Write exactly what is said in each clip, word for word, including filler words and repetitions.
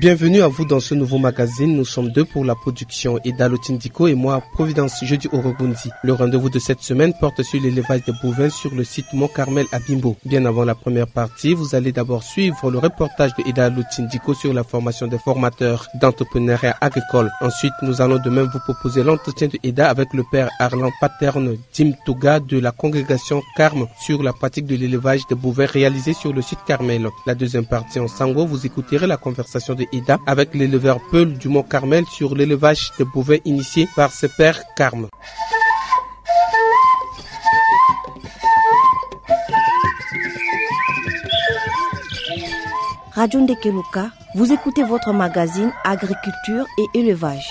Bienvenue à vous dans ce nouveau magazine. Nous sommes deux pour la production, Eda Lotindiko et moi, Providence Jeudi Orogundi. Le rendez-vous de cette semaine porte sur l'élevage des bovins sur le site Mont Carmel à Bimbo. Bien avant la première partie, vous allez d'abord suivre le reportage de Eda Lotindiko sur la formation des formateurs d'entrepreneuriat agricole. Ensuite, nous allons de même vous proposer l'entretien de Eda avec le père Arlan Paterne Dimtoga de la congrégation Carme sur la pratique de l'élevage des bovins réalisé sur le site Carmel. La deuxième partie en sango, vous écouterez la conversation de Eda avec l'éleveur Peul du Mont Carmel sur l'élevage des bovins initié par ses pères Carme. Radio Ndekeloka, vous écoutez votre magazine Agriculture et Élevage.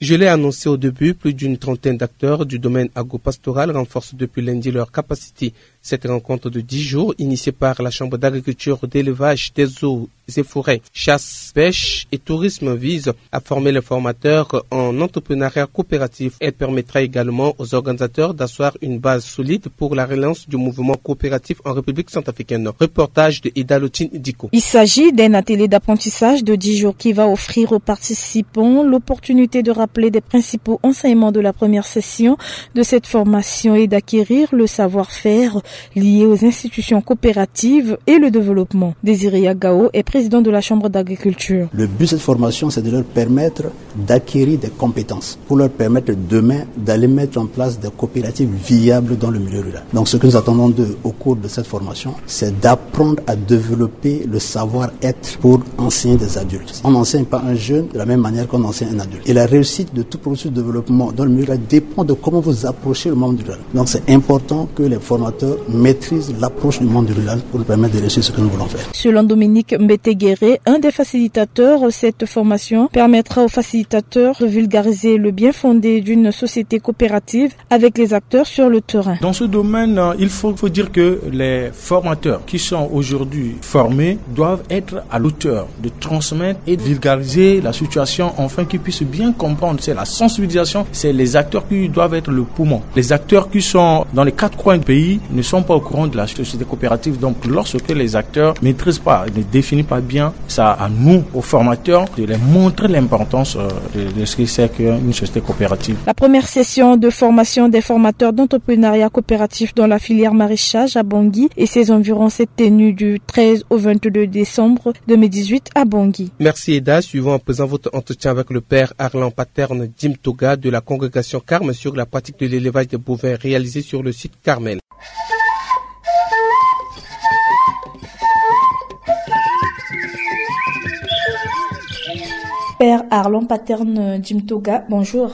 Je l'ai annoncé au début, plus d'une trentaine d'acteurs du domaine agropastoral renforcent depuis lundi leurs capacités. Cette rencontre de dix jours, initiée par la Chambre d'agriculture, d'élevage, des eaux et forêts, chasse, pêche et tourisme, vise à former les formateurs en entrepreneuriat coopératif. Elle permettra également aux organisateurs d'asseoir une base solide pour la relance du mouvement coopératif en République centrafricaine. Reportage de Eda Lotin Diko. Il s'agit d'un atelier d'apprentissage de dix jours qui va offrir aux participants l'opportunité de rappeler des principaux enseignements de la première session de cette formation et d'acquérir le savoir-faire lié aux institutions coopératives et le développement. Désiré Yagao est président de la Chambre d'agriculture. Le but de cette formation, c'est de leur permettre d'acquérir des compétences pour leur permettre demain d'aller mettre en place des coopératives viables dans le milieu rural. Donc ce que nous attendons d'eux au cours de cette formation, c'est d'apprendre à développer le savoir-être pour enseigner des adultes. On n'enseigne pas un jeune de la même manière qu'on enseigne un adulte. Et la réussite de tout processus de développement dans le milieu rural dépend de comment vous approchez le monde rural. Donc c'est important que les formateurs maîtrisent l'approche du monde rural pour nous permettre de réussir ce que nous voulons faire. Selon Dominique Mbetegere, un des facilitateurs, cette formation permettra aux facilitateurs de vulgariser le bien fondé d'une société coopérative avec les acteurs sur le terrain. Dans ce domaine, euh, il faut, faut dire que les formateurs qui sont aujourd'hui formés doivent être à l'auteur de transmettre et de vulgariser la situation afin qu'ils puissent bien comprendre. C'est la sensibilisation, c'est les acteurs qui doivent être le poumon. Les acteurs qui sont dans les quatre coins du pays ne sont pas au courant de la société coopérative. Donc, lorsque les acteurs ne maîtrisent pas, ne définissent pas bien, ça à nous, aux formateurs, de les montrer l'importance, euh, de, de ce que c'est qu'une société coopérative. La première session de formation des formateurs d'entrepreneuriat coopératif dans la filière maraîchage à Bangui et ses environs s'est tenue du treize au vingt-deux décembre deux mille dix-huit à Bangui. Merci Eda. Suivons à présent votre entretien avec le père Arlan Paterne Dimtoga de la congrégation Carme sur la pratique de l'élevage des bovins réalisée sur le site Carmel. Père Arlan Paterne Dimtoga, bonjour.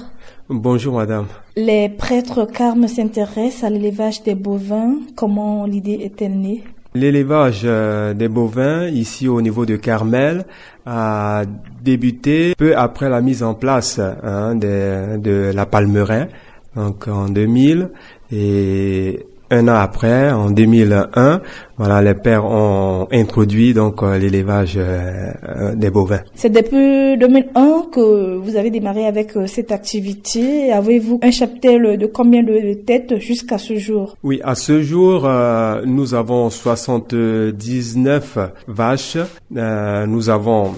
Bonjour madame. Les prêtres Carme s'intéressent à l'élevage des bovins. Comment l'idée est-elle née ? L'élevage, euh, des bovins ici au niveau de Carmel a débuté peu après la mise en place, hein, de, de la Palmeraie, donc en deux mille, et un an après, en deux mille un, voilà, les pères ont introduit donc, euh, l'élevage, euh, euh, des bovins. C'est depuis deux mille un que vous avez démarré avec, euh, cette activité. Avez-vous un cheptel de combien de têtes jusqu'à ce jour ? Oui, à ce jour, euh, nous avons soixante-dix-neuf vaches. Euh, nous avons,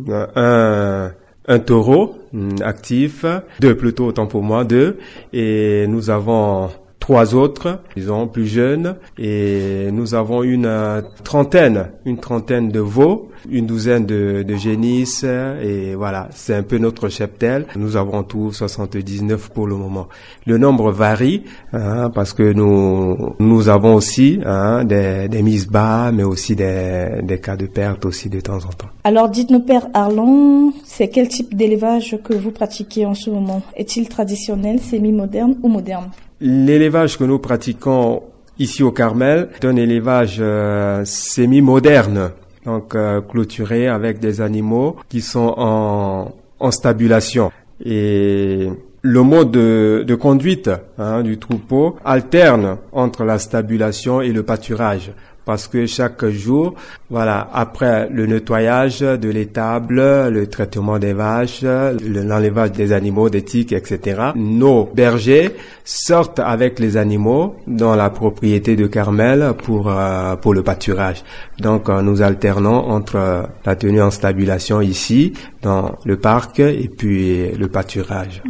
euh, un, un taureau, mm, actif, deux plutôt, autant pour moi, deux. Et nous avons trois autres, disons, plus jeunes. Et nous avons une, euh, trentaine, une trentaine de veaux, une douzaine de, de génisses. Et voilà, c'est un peu notre cheptel. Nous avons en tout soixante-dix-neuf pour le moment. Le nombre varie, hein, parce que nous, nous avons aussi, hein, des, des mises bas, mais aussi des, des cas de perte aussi de temps en temps. Alors dites-nous, Père Arlan, c'est quel type d'élevage que vous pratiquez en ce moment ? Est-il traditionnel, semi-moderne ou moderne ? L'élevage que nous pratiquons ici au Carmel est un élevage, euh, semi-moderne, donc, euh, clôturé avec des animaux qui sont en, en stabulation. Et le mode de, de conduite, hein, du troupeau alterne entre la stabulation et le pâturage. Parce que chaque jour, voilà, après le nettoyage de l'étable, le traitement des vaches, le- l'enlevage des animaux, des tiques, et cetera, nos bergers sortent avec les animaux dans la propriété de Carmel pour, euh, pour le pâturage. Donc, euh, nous alternons entre, euh, la tenue en stabulation ici, dans le parc, et puis le pâturage.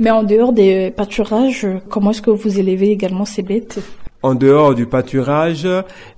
Mais en dehors des pâturages, comment est-ce que vous élevez également ces bêtes ? En dehors du pâturage,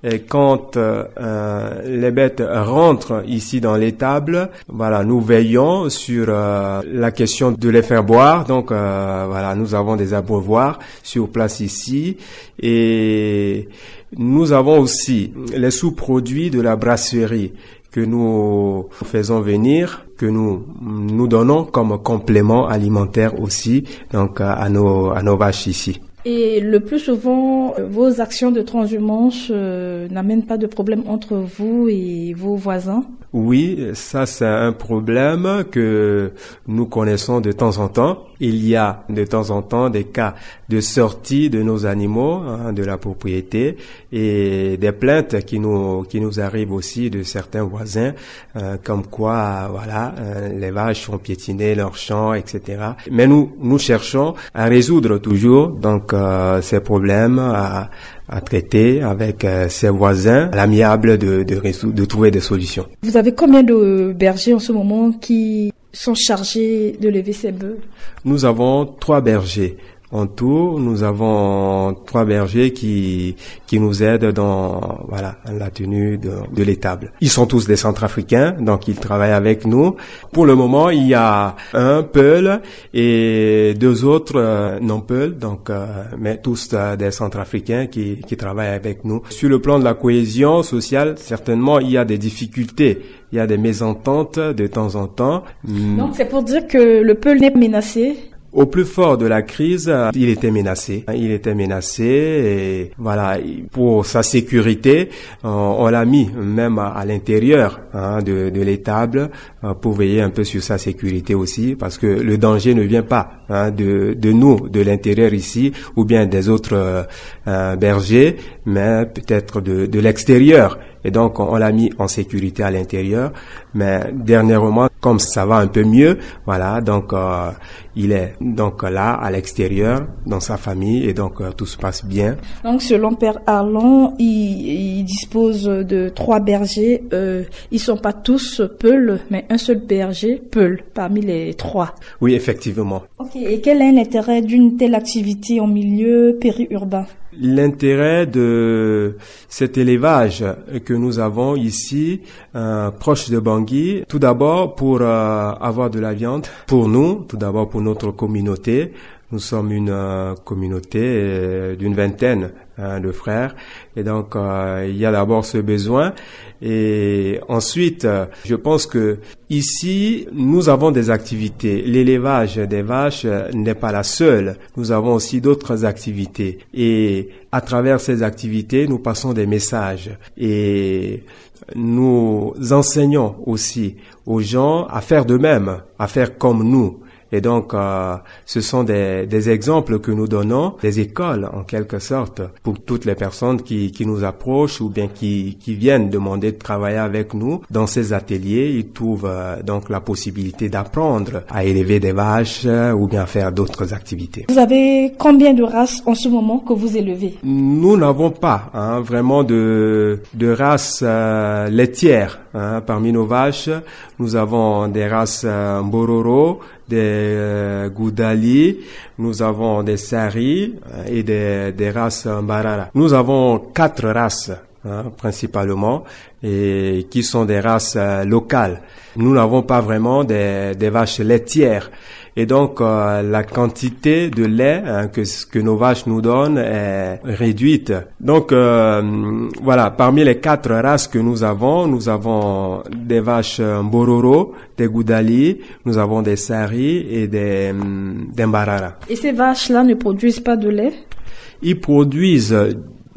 et quand, euh, euh, les bêtes rentrent ici dans l'étable, voilà, nous veillons sur, euh, la question de les faire boire. Donc, euh, voilà, nous avons des abreuvoirs sur place ici. Et nous avons aussi les sous-produits de la brasserie que nous faisons venir, que nous, nous donnons comme complément alimentaire aussi, donc, à nos, à nos vaches ici. Et le plus souvent, euh, vos actions de transhumance, euh, n'amènent pas de problème entre vous et vos voisins ? Oui, ça c'est un problème que nous connaissons de temps en temps. Il y a de temps en temps des cas de sortie de nos animaux, hein, de la propriété, et des plaintes qui nous, qui nous arrivent aussi de certains voisins, euh, comme quoi, euh, voilà, euh, les vaches ont piétiné leurs champs, et cetera. Mais nous, nous cherchons à résoudre toujours, donc, euh, ces problèmes, à, à traiter avec, euh, ces voisins, à l'amiable de, de résoudre, de trouver des solutions. Vous avez combien de bergers en ce moment qui sont chargés de lever ces bœufs ? Nous avons trois bergers. En tout, nous avons trois bergers qui, qui nous aident dans, voilà, la tenue de, de l'étable. Ils sont tous des Centrafricains, donc ils travaillent avec nous. Pour le moment, il y a un Peul et deux autres, euh, non Peul, donc, euh, mais tous, euh, des Centrafricains qui, qui travaillent avec nous. Sur le plan de la cohésion sociale, certainement, il y a des difficultés, il y a des mésententes de temps en temps. Donc c'est pour dire que le Peul n'est pas menacé ? Au plus fort de la crise, euh, il était menacé. Il était menacé et voilà, pour sa sécurité, on, on l'a mis même à, à l'intérieur, hein, de, de l'étable, euh, pour veiller un peu sur sa sécurité aussi, parce que le danger ne vient pas, hein, de, de nous, de l'intérieur ici, ou bien des autres, euh, euh, bergers, mais peut-être de, de l'extérieur. Et donc, on l'a mis en sécurité à l'intérieur. Mais dernièrement, comme ça va un peu mieux, voilà, donc, euh, il est donc là, à l'extérieur, dans sa famille, et donc, euh, tout se passe bien. Donc, selon Père Arlon, il, il dispose de trois bergers. Euh, ils sont pas tous Peul, mais un seul berger Peul parmi les trois. Oui, effectivement. Ok, et quel est l'intérêt d'une telle activité en milieu périurbain ? L'intérêt de cet élevage que nous avons ici, euh, proche de Bangui, tout d'abord pour, euh, avoir de la viande pour nous, tout d'abord pour notre communauté. Nous sommes une, euh, communauté, euh, d'une vingtaine, hein, de frères. Et donc, euh, il y a d'abord ce besoin. Et ensuite, euh, je pense que ici, nous avons des activités. L'élevage des vaches, euh, n'est pas la seule. Nous avons aussi d'autres activités. Et à travers ces activités, nous passons des messages. Et nous enseignons aussi aux gens à faire de même, à faire comme nous. Et donc, euh, ce sont des, des exemples que nous donnons, des écoles en quelque sorte, pour toutes les personnes qui, qui nous approchent ou bien qui, qui viennent demander de travailler avec nous dans ces ateliers. Ils trouvent, euh, donc la possibilité d'apprendre à élever des vaches, euh, ou bien à faire d'autres activités. Vous avez combien de races en ce moment que vous élevez ? Nous n'avons pas, hein, vraiment de, de race, euh, laitière, hein, parmi nos vaches. Nous avons des races, euh, Mbororo, des, euh, Goudali, nous avons des Sari, euh, et des, des races, euh, Mbarara. Nous avons quatre races, hein, principalement, et qui sont des races, euh, locales. Nous n'avons pas vraiment des, des vaches laitières. Et donc, euh, la quantité de lait, hein, que, que nos vaches nous donnent est réduite. Donc, euh, voilà, parmi les quatre races que nous avons, nous avons des vaches, euh, Mbororo, des Goudali, nous avons des Sari et des, hum, des Mbarara. Et ces vaches-là ne produisent pas de lait ? Ils produisent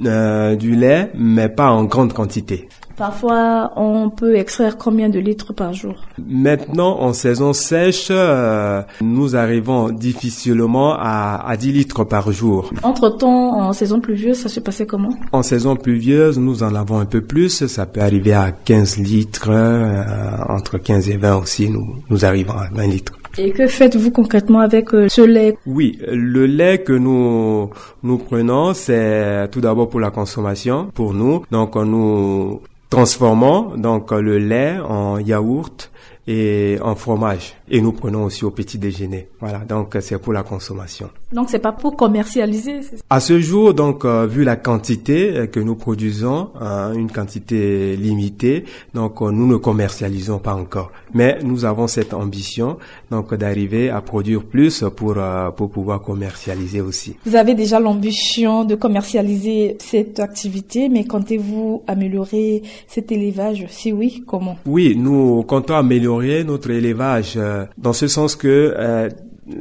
euh, du lait, mais pas en grande quantité. Parfois, on peut extraire combien de litres par jour ? Maintenant, en saison sèche, euh, nous arrivons difficilement à, à dix litres par jour. Entre-temps, en saison pluvieuse, ça se passait comment ? En saison pluvieuse, nous en avons un peu plus. Ça peut arriver à quinze litres, euh, entre quinze et vingt aussi, nous, nous arrivons à vingt litres. Et que faites-vous concrètement avec, euh, ce lait ? Oui, le lait que nous, nous prenons, c'est tout d'abord pour la consommation, pour nous. Donc, nous transformons donc le lait en yaourt et en fromage. Et nous prenons aussi au petit déjeuner. Voilà, donc c'est pour la consommation. Donc, c'est pas pour commercialiser, c'est ça ? À ce jour, donc, euh, vu la quantité, euh, que nous produisons, hein, une quantité limitée, donc, euh, nous ne commercialisons pas encore. Mais nous avons cette ambition, donc, d'arriver à produire plus pour, euh, pour pouvoir commercialiser aussi. Vous avez déjà l'ambition de commercialiser cette activité, mais comptez-vous améliorer cet élevage ? Si oui, comment ? Oui, nous comptons améliorer notre élevage, euh, dans ce sens que, euh,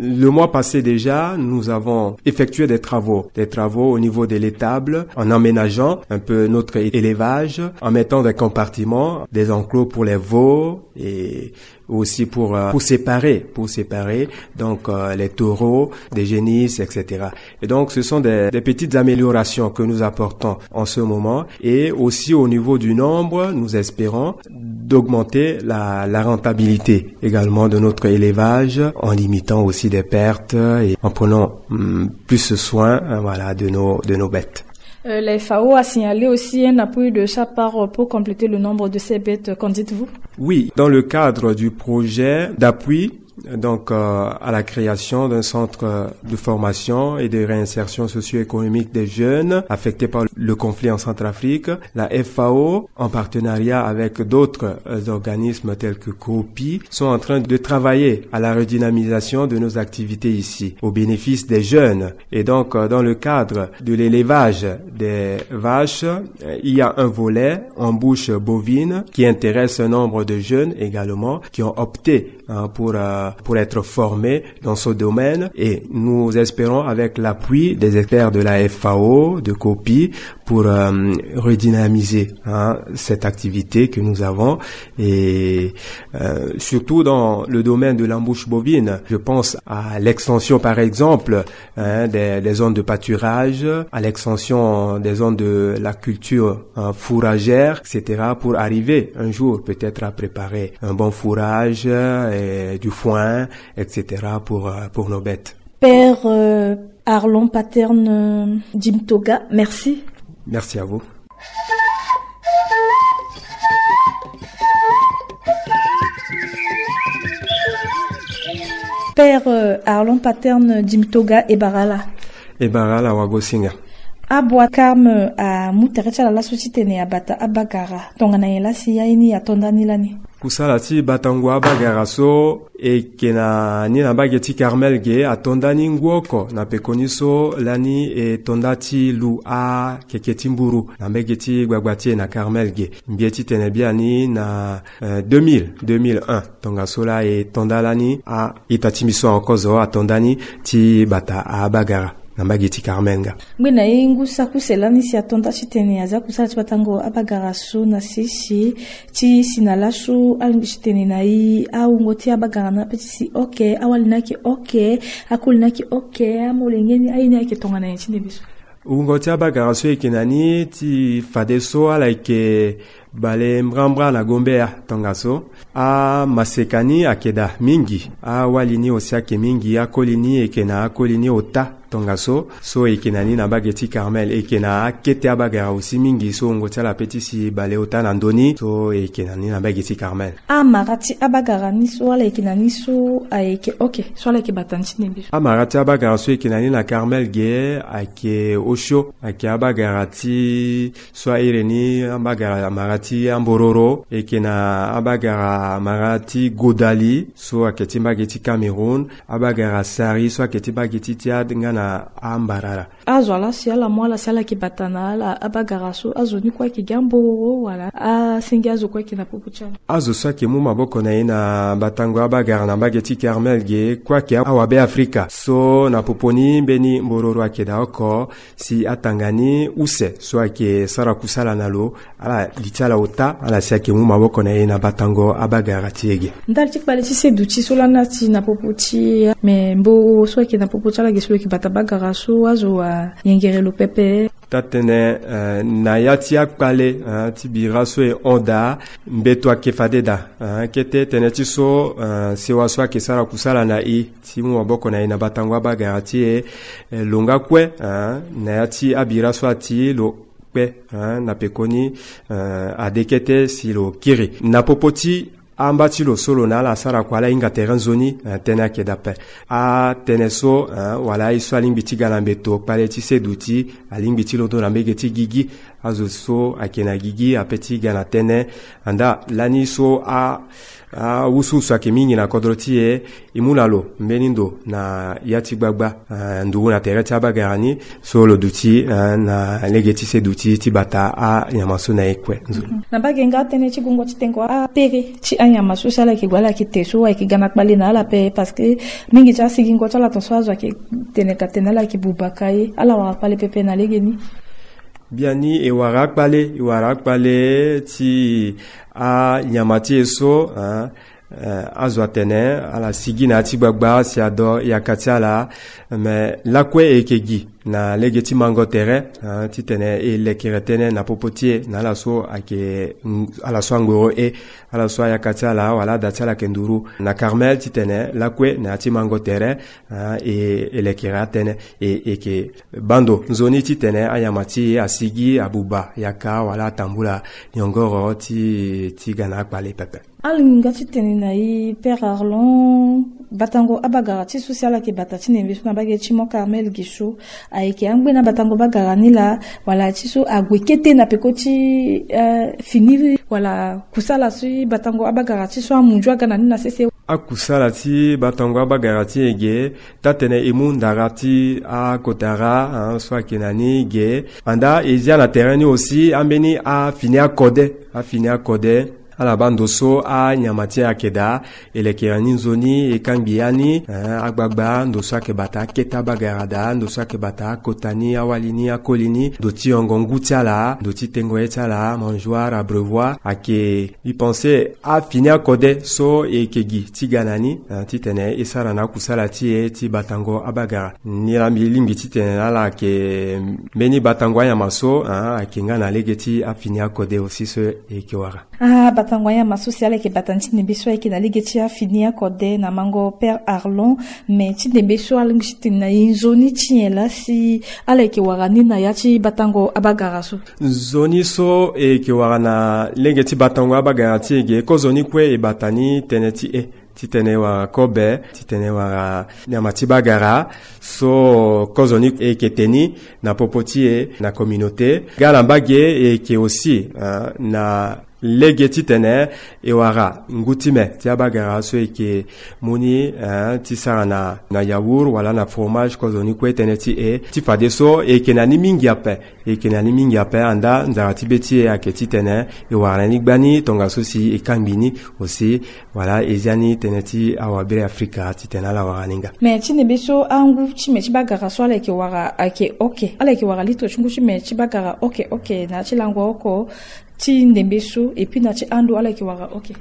le mois passé déjà, nous avons effectué des travaux, des travaux au niveau de l'étable, en aménageant un peu notre élevage, en mettant des compartiments, des enclos pour les veaux et aussi pour, euh, pour séparer, pour séparer donc, euh, les taureaux des génisses, et cetera. Et donc, ce sont des, des petites améliorations que nous apportons en ce moment. Et aussi au niveau du nombre, nous espérons d'augmenter la, la rentabilité également de notre élevage en limitant aussi des pertes et en prenant, hum, plus soin, euh, voilà, de nos, de nos bêtes. Euh, la F A O a signalé aussi un appui de sa part pour compléter le nombre de ces bêtes. Qu'en dites-vous ? Oui, dans le cadre du projet d'appui, donc, euh, à la création d'un centre de formation et de réinsertion socio-économique des jeunes affectés par le conflit en Centrafrique, la F A O, en partenariat avec d'autres, euh, organismes tels que COPI, sont en train de travailler à la redynamisation de nos activités ici, au bénéfice des jeunes. Et donc, euh, dans le cadre de l'élevage des vaches, euh, il y a un volet embouche bovine qui intéresse un nombre de jeunes également qui ont opté, hein, pour, euh, pour être formés dans ce domaine. Et nous espérons, avec l'appui des experts de la F A O, de COPI, pour, euh, redynamiser, hein, cette activité que nous avons. Et, euh, surtout dans le domaine de l'embouche bovine, je pense à l'extension, par exemple, hein, des, des zones de pâturage, à l'extension des zones de la culture, hein, fourragère, et cetera, pour arriver un jour peut-être à préparer un bon fourrage, euh, et du foin, et cetera, pour, euh, pour nos bêtes. Père, euh, Arlon Paterne, euh, Dimtoga, merci. Merci à vous. Père, euh, Arlon Paterne Dimtoga, e bara ala. E bara ala wagosinga. Abua Carme amu tere ti ala laso titene abata abagara. Tongana nyen la si aye ni ato nda ni lani? Kusala ti batango abagara so e yeke na ni na mbage ti Carmel ge, ato nda ni ngu oko na pekoni so lani e to nda ti lu akeke ti mburu na mbage ti gbagba ti e na Carmel ge. Mbi ye titene biani na, euh, deux mille, deux mille un. Tongaso la e to nda lani a-ita ti mbi so ankozo ato nda ni ti bata abagara na mbage ti Carmel nga. Ngbene ye ngu saki use lani si ato nda titene aza kusala ti batango abagara so na sese ti si na laso alingbi titene na e awungo ti abagara ni ape ti si oke, awali ni ayeke oke, akoli ni ayeke oke, amolenge ni aye ni ayeke tongana nyen ti ndembe so? Wungo ti abagara so e yeke na ni ti fadeso ala yeke bale mbrambra na gombe ya tongaso. Amaseka ni ayeke daa mingi, awali ni aussi ayeke mingi, akoli ni e yeke na akoli ni ota tongaso. So e yeke na ni na mbage ti Carmel, e yeke na akete abagara aussi mingi so wungo ti ala ape ti si bale ota na ndö ni, so e yeke na ni na mbage ti Carmel. Amara ti abagara ni so ala yeke na ni so ayeke oke, so ala yeke bata ni ti ndembe so? Amara ti abagara so e yeke na ni na Carmel ge ayeke osio, ayeke abagara ti so a iri ni abagara amara ti ambororo, e yeke na abagara mara ti godali so ayeke ti mbage ti Cameroun, abagara sari so ayeke ti mbage ti Tchad nga na ambarara. Azo ala si ala mu ala si ala yeke bata na ala abagara so, azo ni kue ayeke gi ambororo wala asenge azo kue ayeke na popo ti ala? Azo so ayeke mu maboko na e na batango abagara na mbage ti Carmel ge kue ayeke awabe Afrika so na popo ni mbeni mbororo ayeke daa oko si atanga ni use so ayeke sara kusala na lo, ala li ti ala ota ala si ayeke mu maboko na e na batango abagara ti e ge. Ndali ti kpale ti seduti so lani ati na popo ti e, me mbororo so ayeke na popo ti ala ge so lo yeke bata bagara so azo ayengere lo pepe? Taa-tënë, eh, na ya ti akpale, eh, ti bira so e hon daa, mbeto ayeke fade daa, eh, kete tënë ti so, eh, sewa so ayeke sara kusala na e ti mu maboko na e na batango abagara ti e, eh, lo nga kue, eh, na ya ti abira so ati lo kpe, eh, na pekoni, eh, ade kete si lo kiri. Na popo ti amba ti lo so lo na ala asara kua ala hinga tere nzoni, eh, tënë ayeke daa ape. Atënë so, eh, wala aye so alingbi ti ga na mbeto kpale ti seduti, alingbi ti londo na mbage ti gigi. Azo so ayeke na gigi ape ti ga na tënë. Andaa lani so a, awusuwusu ayeke mingi na kodro ti e, e mu na lo mbeni ndo na ya ti gbagba, eh, nduru na tere ti abagara ni, so lo duti, eh, na lege ti seduti ti bata anyama so na e kue. Nzoni. Na mbage nga tënë ti gongo ti tengo apere ti anyama so si ala yeke gue ala yeke te so ayeke ga na kpale na ala ape, parce que mingi ti asigingo ti ala ton so azo ayeke tene ka tene ala yeke buba ka ye, ala wara kpale pepe na legeni? Biani e wara akpale, e wara akpale ti anyama ti e so, eh, eh, azo atene ala sigi na ya ti gbagba si ado yaka ti ala, me lakue e yeke gi na lege ti mango tere, eh, titene e lekere tënë na popo ti e na ala so ayeke, mm, ala so angoro e, ala so ayaka ti ala wala ada ti ala ayeke nduru na Carmel titene lakue na ya ti mango tere, eh, e, e lekere atënë, e, e yeke baa ndo nzoni titene anyama ti e asigi abuba yaka wala atambula nyongoro ti, ti ga na akpale pepe. Alinga ti tene na e Père Arlon, batango abagara ti so si ala yeke bata ti ndembe so na mbage ti Mont Carmel ge so, ayeke angbeni abatango bagara ni laa, wala ti so ague kete na peko ti, eh, fini wala kusala si batango abagara ti so amunzu aga na ni na sese? Akusala ti batango abagara ti e ge, taa-tënë e mu ndara ti akotara, ah, so ayeke na ni ge. Andaa e zia na tere ni aussi ambeni afini akode, afini akode. Ala baa ndo so anyama ti e ayeke daa, e lekere ni nzoni, e kangbi ya ni, eh, agbagba, ndo so ayeke bata akete abagara daa, ndo so ayeke bata akota ni, awali ni, akoli ni, ndo ti yongo ngu ti ala, ndo ti tengo ye ti ala, mangeoire, abreuvoir, ayeke, mbi pense, afini akode so e yeke gi ti ga na ni, eh, titene e sara na akusala ti e ti batango abagara. Ni laa mbi lingbi titene na ala ayeke mbeni batango anyama so, eh, ayeke nga na lege ti afini akode aussi so e yeke wara. Ah, batango anyama so si ala yeke bata ni ti ndembe so ayeke na lege ti afini akode na mango Père Arlon, me ti ndembe so alingbi ti tene na e nzoni ti nyen laa si ala yeke wara ni na ya ti batango abagara so? Nzoni so e yeke wara na lege ti batango abagara ti e ge, kozoni kue e bata ni tënë ti e, titene e wara kobe, titene e wara nyama ti bagara, so kozoni e yeke te ni na popo ti e na communauté. Ga na mbage e yeke aussi, ah, na lege titene e wara ngu ti me ti abagara so e yeke mu ni, eh, ti sara na, na yaourt wala na fromage, kozoni kue tënë ti e, ti fadeso e yeke na ni mingi ape. E yeke na ni mingi ape, andaa nzara ti be ti e ayeke titene e wara na ni gbani tongaso si e kangbi ni aussi. Wala e zia ni tënë ti awabiri Afrika titene ala wara ni nga. Me ti ndembe so angu ti me ti bagara so ala yeke wara ayeke oke? Ala yeke wara litre ti ngu ti me ti bagara oke oke na ya ti lango oko ti ndembe so, et puis na ti ando ala yeke wara oke?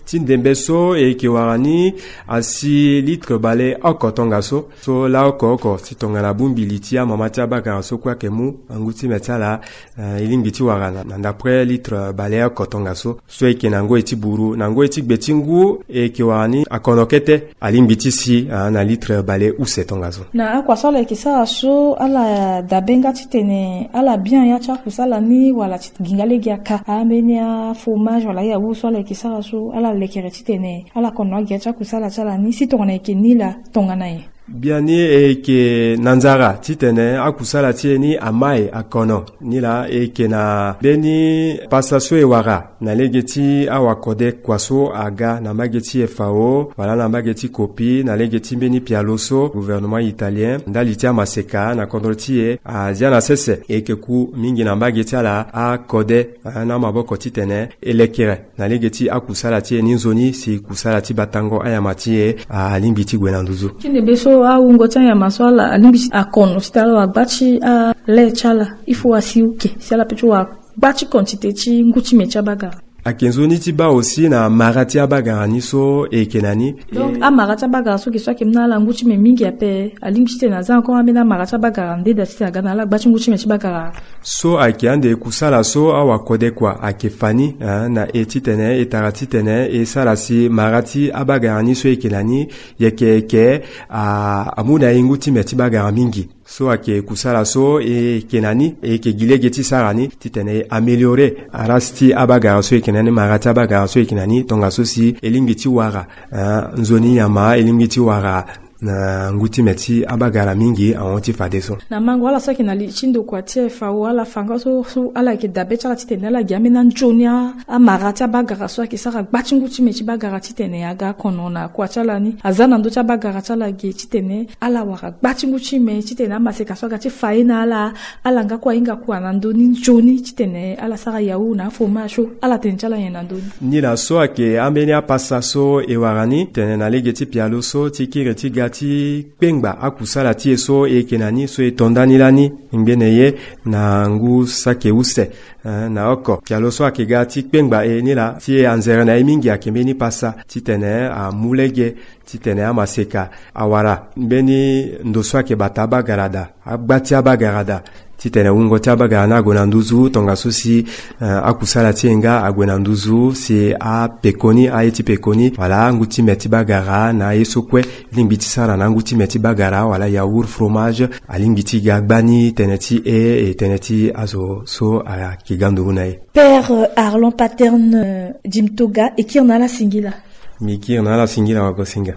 Ti ndembe so e yeke wara ni asi litre bale oko tongaso. So laa oko oko si tongana bongbi li ti amama ti abagara so kue ayeke mu angu ti me ti ala, eh, e lingbi ti wara na, na ndapre litre bale oko tongaso. So e yeke na ngoi ti buru, na ngoi ti gbe ti ngu e yeke wara ni akono kete alingbi ti si, ah, na litre bale use tongaso. Na akua so ala yeke sara so, ala dabe nga titene ala bien ya ti akusala ni wala ti gi nga lege aka? Ambeni afromage wala ayaourt so ala yeke sara so, ala lekere titene ala kono agi ya ti akusala ti ala ni si tongana e yeke ni laa tongana nyen? Biani e yeke na nzara titene akusala ti e ni amae akono. Nilaa e yeke na mbeni pasa so e wara na lege ti awakode kua so aga na mbage ti F A O wala na mbage ti Kopi na lege ti mbeni pialo so gouvernement italien ndali ti amaseka na kodro ti e azia na sese. E yeke ku mingi na mbage ti ala akode, ah, na maboko titene e lekere na lege ti akusala ti e ni nzoni si kusala ti batango anyama ti e, ah, alingbi ti gue na nduzu. Tene be so awungo ti anyama so ala alingbi ti akono titene ala wara gba ti ale ti ala. Il faut asi uke si ala pe ti wara gba ti quantité ti ngu ti me ti abagara. Ayeke nzoni ti baa aussi na mara ti abagara ni so e yeke na ni. Donc, eh, amara ti abagara so yeke so ayeke mu na ala ngu ti me mingi ape, alingbi titene aza encore ambeni amara ti abagara ndeda titene aga na ala gba ti ngu ti me ti bagara. So ayeke ande kusala so awakode kua ayeke fa ni, eh, na e titene e tara titene e sara si mara ti abagara ni so e yeke na ni yeke yeke, ah, amu na e ngu ti me ti bagara mingi. So ayeke kusala so e yeke na ni, e yeke gi lege ti sara ni titene e améliorer race ti abagara so e yeke na ni, mara ti abagara so e yeke na ni, tongaso si e lingbi ti wara, ah, nzoni nyama, e lingbi ti wara na ngu ti me ti abagara mingi ahon ti fadeso. Na mango ala so ayeke na li ti ndokua ti F A O, ala fa nga so, so ala yeke dabe ti ala titene ala gi ambeni anzoni a, amara ti abagara so ayeke sara gba ti ngu ti me ti bagara titene aga akono na kua ti ala ni, aza na ndö ti abagara ti ala ge titene ala wara gba ti ngu ti me titene amaseka so aga ti fa ye na ala, ala nga kue ahinga kua na ndö ni nzoni titene ala sara yaourt na afromage so ala tene ti ala nyen na ndö ni. Nilaa so ayeke ambeni apasa so e wara ni tene na lege ti pialo so ti kiri ti ga ti kpengba akusala ti e so e yeke na ni so e to ndani lani ngbene ye na ngu saki use, eh, na oko. Pialo so ayeke ga ti kpengba e nilaa ti e anzere na e mingi ayeke mbeni pasa titene amu lege titene amaseka awara mbeni ndo so ayeke bata abagara daa, agba ti abagara daa, titene wungo ti abagara ni ague na nduzu tongaso si, eh, akusala ti e nga ague na nduzu si apekoni, aye ti pekoni wala angu ti me ti bagara na aye so kue lingbi ti sara na angu ti me ti bagara wala yaourt, fromage, alingbi ti ga gbani tënë ti e, e tënë ti azo so ayeke ga nduru na e. Père, euh, Arlan Paterne, euh, Jim Toga, e kiri na ala singila. Mbi kiri na ala singila wagosinga.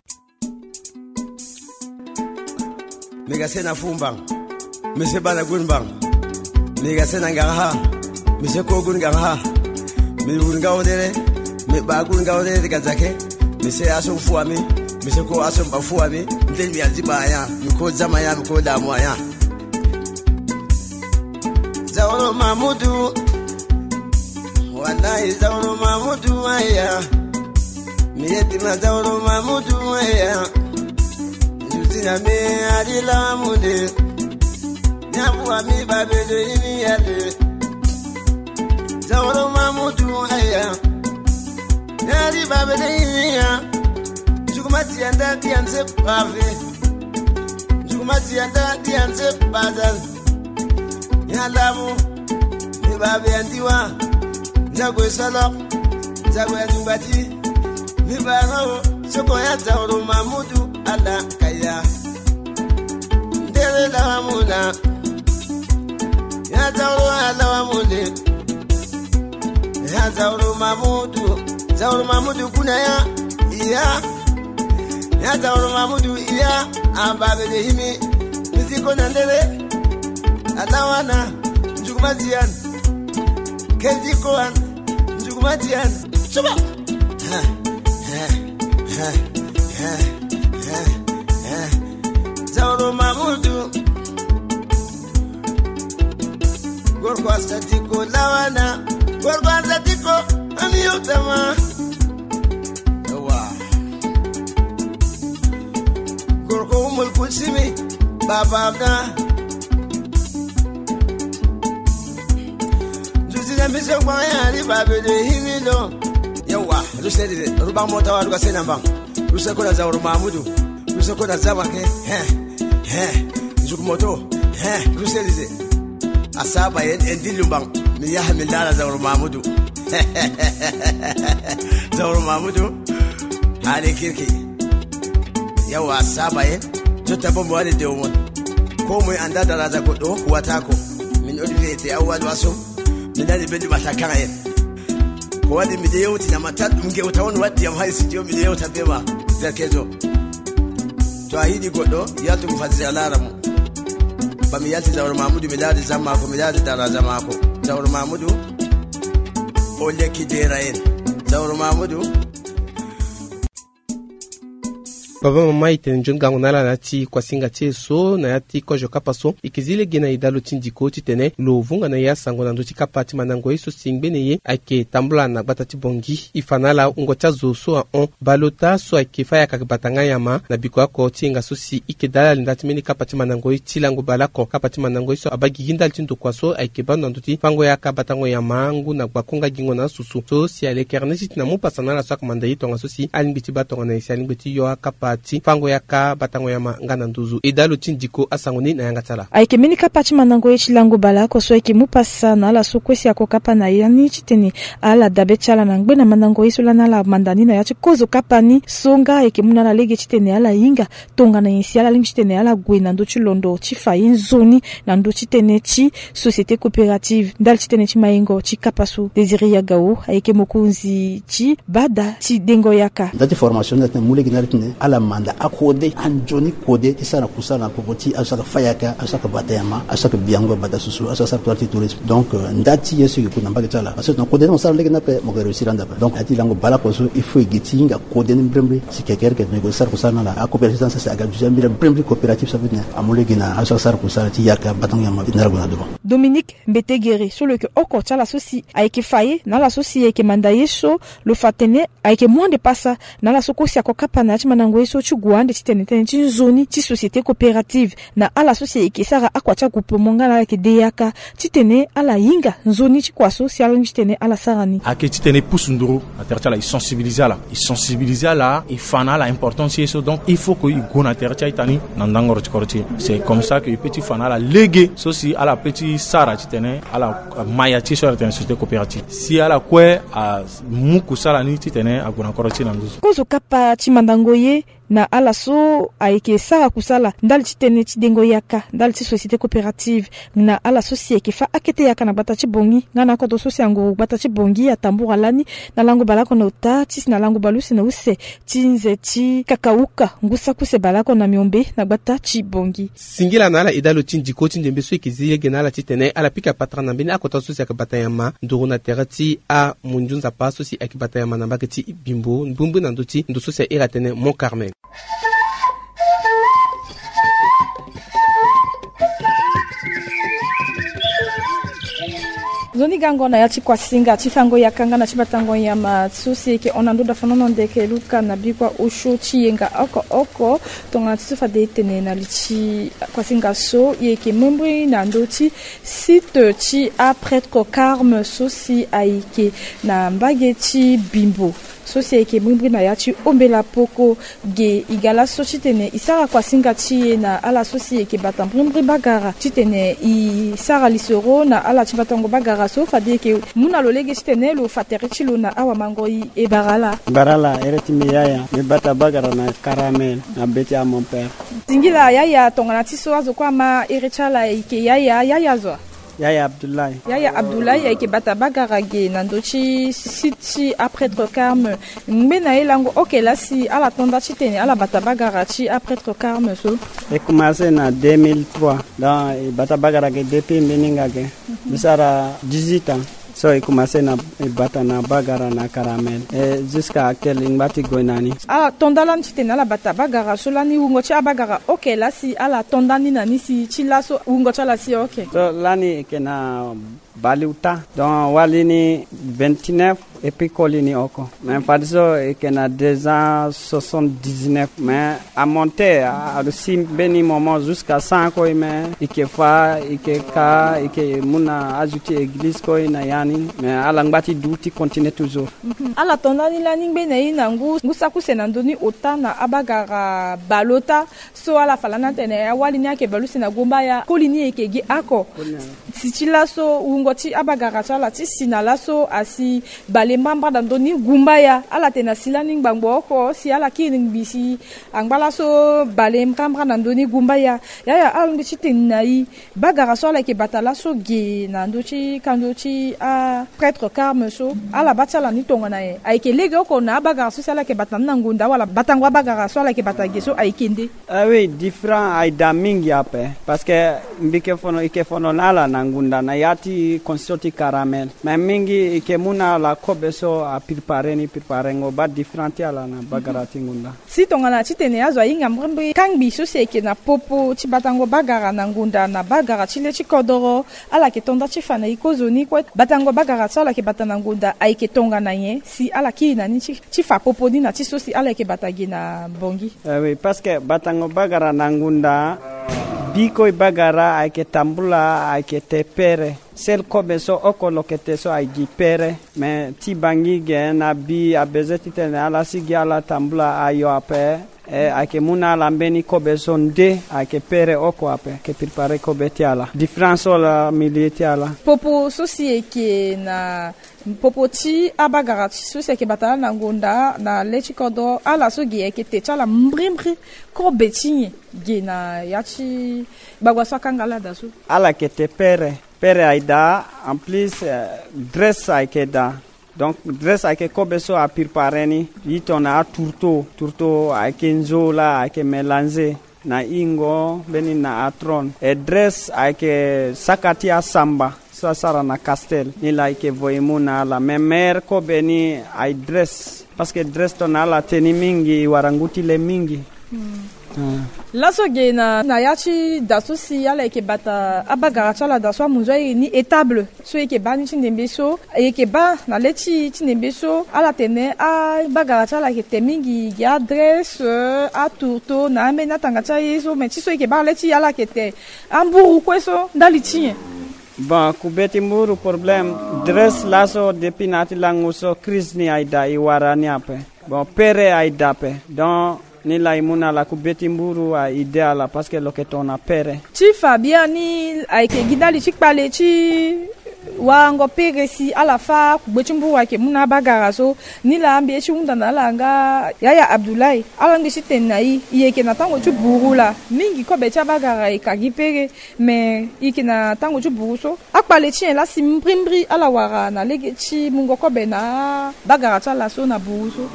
Mbi ga sena fumbang. Mbi se bana gun bang. Mbi ga sena nganga ha. Mbi se ko gun nganga ha. Mbi wun nga wodere. Mbi ba gun nga wodere ga zake. Mbi se aso fu ami. Mbi se ko aso mba fu ami. Ntel mbi azi ba aya. Mbi ko zama aya. Mbi ko damu aya. Zauro Mamudu. Wallahi Zauro Mamudu aya. Mi yeti ma Zauro Mamudu aya. Ndutina me adila munde. Nyamu ami babele ini yale. Zauro Mamudu aya. Yari babele ini ya. Jugumati anda di anse pave. Nzuguma ti yanda di anse bazal. Ya lamu. Mi ba be andiwa. Nzago esolo. Nzago ya nzungba ti. Mi ba no. Soko ya Zauro Mamudu ala kaya. Ndele lawa muna. Ya Zauro ala wa mune. Ya Zauro Mamudu. Zauro Mamudu kuna ya. Iya. Ya Zauro Mamudu iya. Amba be de himi. Miziko na ndele. Alawana. Nzuguma ti yan. Keziko an. Nzuguma ti yan. Suba. Ha, ha, ha, ha, ha, ha. Zauro Mamudu. Gorko asatiko lawana. Gorko asatiko. Ami yotama. Ewa. Gorko Umul Kulsimi. Baba Abda. Nzuzi na mise kwa ya ri babe de himi do. Yawa, ruse de, ruba mota wa ruga sena bang. Ruse ko na Zauro Mamudu. Ruse ko na zaba ke. He, he. Nzuku moto. He, ruse de. Asaba yen, en di lumbang. Mi ya mi ndara Zauro Mamudu. Zauro Mamudu. Hali kirki. Yawa asaba yen. Zo tabo mo wani de won. Ko mo anda daraja ko do, wata ko. Min odi vete awal waso. Min dani bendi mata kan yen. Ko wadi mi de yewti na mata dum ge wata won wadi am hay studio mi de yewta be ma. Derkezo. Yo, a hidi goɗɗo, yaltu mo fati si a lara mo. Ba mi yalti Zawro Mamudu, mi lari zamako, mi lari dara zamako. Zawro Mamudu, o lekki dera en. Zawro Mamudu. Baba mama, e tene nzoni gango na ala na ya ti kuasinga ti e so na ya ti kozo kapa so. E ke zi lege na e dalo ti ndiko titene lo vunga na e asango na ndö ti kapa ti mandango ye so si ngbene ye ayeke tambula na gbata ti Bongi. E fa na ala wungo ti azo so ahon baleota so ayeke fâ yaka bata nga nyama na biko oko ti yenga so si e ke dala linda ti mbeni kapa ti mandango ye ti lango baleoko. Kapa ti mandango ye so abaa gigi ndali ti ndokua so ayeke baa ndo na ndö ti fango yaka batango nyama ngu na gbako nga gingo na asusu so si alekere ni ti tena mu pasa na ala so ayeke manda ye tongaso si alingbi ti baa tongana nyen si alingbi ti yo akapa ti fango yaka batango nyama nga na nduzu. E dalo ti ndiko asango ni na yanga ti ala. Ayeke mbeni kapa ti mandango ye ti lango baleoko so ayeke mu pasa na ala so kue si ako kapa na ya ni titene ala dabe ti ala na ngbene mandango ye so lani ala manda ni na ya ti kozo kapa ni so nga ayeke mu na ala lege titene ala hinga tongana nyen si ala lingbi titene ala gue na ndö ti londo ti fa ye nzoni na ndö ti tënë ti société coopérative. Ndali ti tënë ti mayengo ti kapa so, Désiré Yagao ayeke mokonzi ti bada ti dengo yaka. Nda ti formation ni atene mu lege na ala titene ala manda akode anzoni kode ti sara na kusala na popo ti azo so ayeke fâ yaka, azo so ayeke bata nyama, azo so ayeke biango bata susu, azo so asara kusala ti tourisme. Donc euh, nda ti ye so e ke ku na mbage ti ala parce que tongana kode ni mo sara lege ni ape mo ke réussir ande ape. Donc nda ti lango baleoko so il faut e gi ti hinga kode ni mbrimbri si kekereke tongana e ke sara kusala na ala. Acoopérative ti ala sasa aga duza mbira mbrimbri coopérative so ape titene amu lege na azo so asara kusala ti yaka batango nyama ti na ala gue na devant. Dominique Mbetegere so lo yeke oko ti ala so si ayeke fa ye na ala so si ayeke manda ye so lo fa tene ayeke mu ande pasa na ala so kue si ako kapa na ya ti mandango ye so ti gue ande titene tënë ti nzoni ti société coopérative na ala so si ayeke sara akua ti agroupement nga na ala yeke de yaka titene ala hinga nzoni ti kua so si ala lingbi titene ala sara ni. Ayeke titene e pusu nduru na tere ti ala, e sensibiliser ala, e sensibiliser ala, e fa na ala importance ti ye so. Donc il faut que e gue na tere ti a-ita ni na ndangoro ti kodro ti e. C'est comme ça que e peut ti fa na ala lege so si ala peut ti sara titene ala ma ya ti ye so ala tene société coopérative. Si ala kue amu kusala ni titene ague na kodro ti e na nduzu. Kozo kapa ti mandango ye na ala so ayeke sara kusala ndali ti tënë ti dengo yaka ndali ti société coopérative na ala so si ayeke fâ akete yaka na gbata ti Bongi nga na akodro so si anguru gbata ti Bongi atambura lani na lango baleoko na ota ti si na lango baleuse na use ti nze ti kakauka ngu saki use baleoko na miombe na gbata ti Bongi. Singila na ala e dalo ti ndiko ti ndembe so e ke zi lege na ala titene ala pika patara na mbeni akota so si ayeke bata nyama nduru na tere ti amunzu nzapa so si ayeke bata nyama na mbage ti Bimbo mbrimbri na ndö ti ndo so si a iri atene Mont Carmel. Nzoni gango na ya ti kuasinga ti fango yaka nga na ti batango nyama so si e yeke hon na ndö dafanono ndeke luka na bikua osio ti yenga oko oko. Tongana ti so fade e tene na li ti kuasinga so e yeke mbrimbri na ndö ti site ti aprêtre Carme so si ayeke na mbage ti Bimbo so si ayeke mbrimbri na ya ti ombela poko. Ge e ga laso titene e sara kuasinga ti e na ala so si e yeke bata mbrimbri bagara titene e sara lisoro na ala ti batango bagara so fade e yeke mu na lo lege titene lo fa tere ti lo na awamangoi. E bara ala. Bara ala, ere ti mbi Yaya, mbi bata bagara na Caramel na be ti a mon père. Singila Yaya, tongana ti so azo kue ama ere ti ala e yeke Yaya, Yaya zo. Yaya Abdoulaye. Yaya Abdoulaye ayeke bata bagara ge na ndö ti site ti aprêtre Carme. Ngbene ye lango oke laa si ala to nda titene ala bata bagara ti aprêtre Carme so? E commencé na deux mille trois. Donc e bata bagara ge depuis mbeni nga ge. Mbi sara dix-huit ans. So e commencé na e bata na bagara na Caramel. Et jusqu'à actuel e ngba ti gue na ni. Ala to nda lani titene ala bata bagara so lani wungo ti abagara oke laa si ala to nda ni na ni si ti laso wungo ti ala si oke? So lani e yeke na baleota. Donc wali ni vingt-neuf et puis koli ni oko. Mais fadeso e yeke na deux cent soixante-dix-neuf. Mais a monté a, a si mbeni moment jusqu'à cent kue, mais e yeke fa, e yeke ka, e yeke mu na azo ti église kue na ya ni. Mais ala ngba ti du ti continuer toujours. Mhm. Ala to nda ni lani ngbene ye na ngu, ngu saki use na ndö ni ota na abagara baleota. So ala fa lani atene awali ni ayeke baleuse na gumbaya, koli ni e yeke gi oko. Koli ni. Si ti laso wungo ti abagara ti ala ti si na laso asi bale mbrambra na ndö ni gumbaya. Ala tene na si lani ngbangbo oko si ala kiri ngbi si angba laso bale mbrambra na ndö ni gumbaya. Yaya, ala lingbi ti tene na i, bagara so ala yeke bata laso ge na ndö ti kando ti aprêtre Carme so, ala baa ti ala ni tongana nyen? Ayeke legeoko na abagara so si ala yeke bata ni na ngonda wala batango abagara so ala yeke bata ge so ayeke nde? Ah oui, différent aye daa mingi ape. Parce que mbi yeke fono, e yeke fono na ala na ngonda na ya ti constitution ti Caramel. Mais mingi e yeke mu na ala kobe so apréparer ni, préparengo baa différent ti ala na bagara ti ngonda. Si tongana titene azo ahinga mbrimbri kangbi so si ayeke na popo ti batango bagara na ngonda na bagara ti le ti kodoro, ala yeke to nda ti fa na e kozoni kue? Batango bagara so ala yeke bata na ngonda ayeke tongana nyen si ala kiri na ni ti, ti fa popo ni na ti so si ala yeke bata ge na Bangui? Eh oui, parce que batango bagara na ngonda, biko e bagara ayeke tambula, ayeke te pere. Sel kobe so oko lo yeke te so aye gi pere. Me ti Bangui ge na bi abezoin titene ala sigi ala tambula ayo ape. E, ayeke mu na ala mbeni kobe so nde ayeke pere oko ape, ayeke préparer kobe ti ala. Différence so laa milieu ti ala. Popo so si e yeke na popo ti abagara ti so si ayeke bata ala na ngonda na le ti kodro, ala so ge ayeke te ti ala mbrimbri kobe ti nyen ge na ya ti gbagba so akanga ala daa so? Ala yeke te pere. Pere aye daa, en plus, eh, dresse ayeke daa. Donc, dresse ayeke kobe so apréparer ni. Ye tongana atourteau, tourteau ayeke nzo laa, ayeke mélanger na hingo mbeni na atrone. E dresse ayeke saka ti asamba so asara na Castel. Ni laa e yeke voye mu na ala. Me meilleur kobe ni aye dresse. Parce que dresse tongana ala te ni mingi, e wara ngu ti le mingi. Hmm. Ah. Laso ge na, na ya ti da so si ala yeke bata abagara ti ala daa so amunzu airi ni étable so e yeke baa ni ti ndembe so, e yeke baa na le ti, ti ndembe so ala tene abagara ti ala yeke te mingi, gi adresse, atourteau na ambeni atanga ti aye so, me ti so e yeke baa na le ti ala yeke te amburu kue so ndali ti nyen? Bon, kube ti mburu problème, dresse laso depuis na ya ti lango so crise ni aye daa, e wara ni ape. Bon, pere aye daa ape. Donc, ni laa e mu na ala kube ti mburu aye daa ala parce que lo yeke tongana pere. Ti fa biani ayeke gi ndali ti kpale ti warango pere si ala fâ kugbe ti mburu ayeke mu na abagara so. Ni laa mbi ye ti hunda na ala nga Yaya Abdoulaye, ala ngbi ti tene na e, e yeke na tango ti buru laa, mingi kobe ti abagara e ka gi pere. Me e yeke na tango ti buru so, akpale ti nyen laa si mbrimbri ala wara na lege ti mungo kobe na abagara ti ala so na buru so?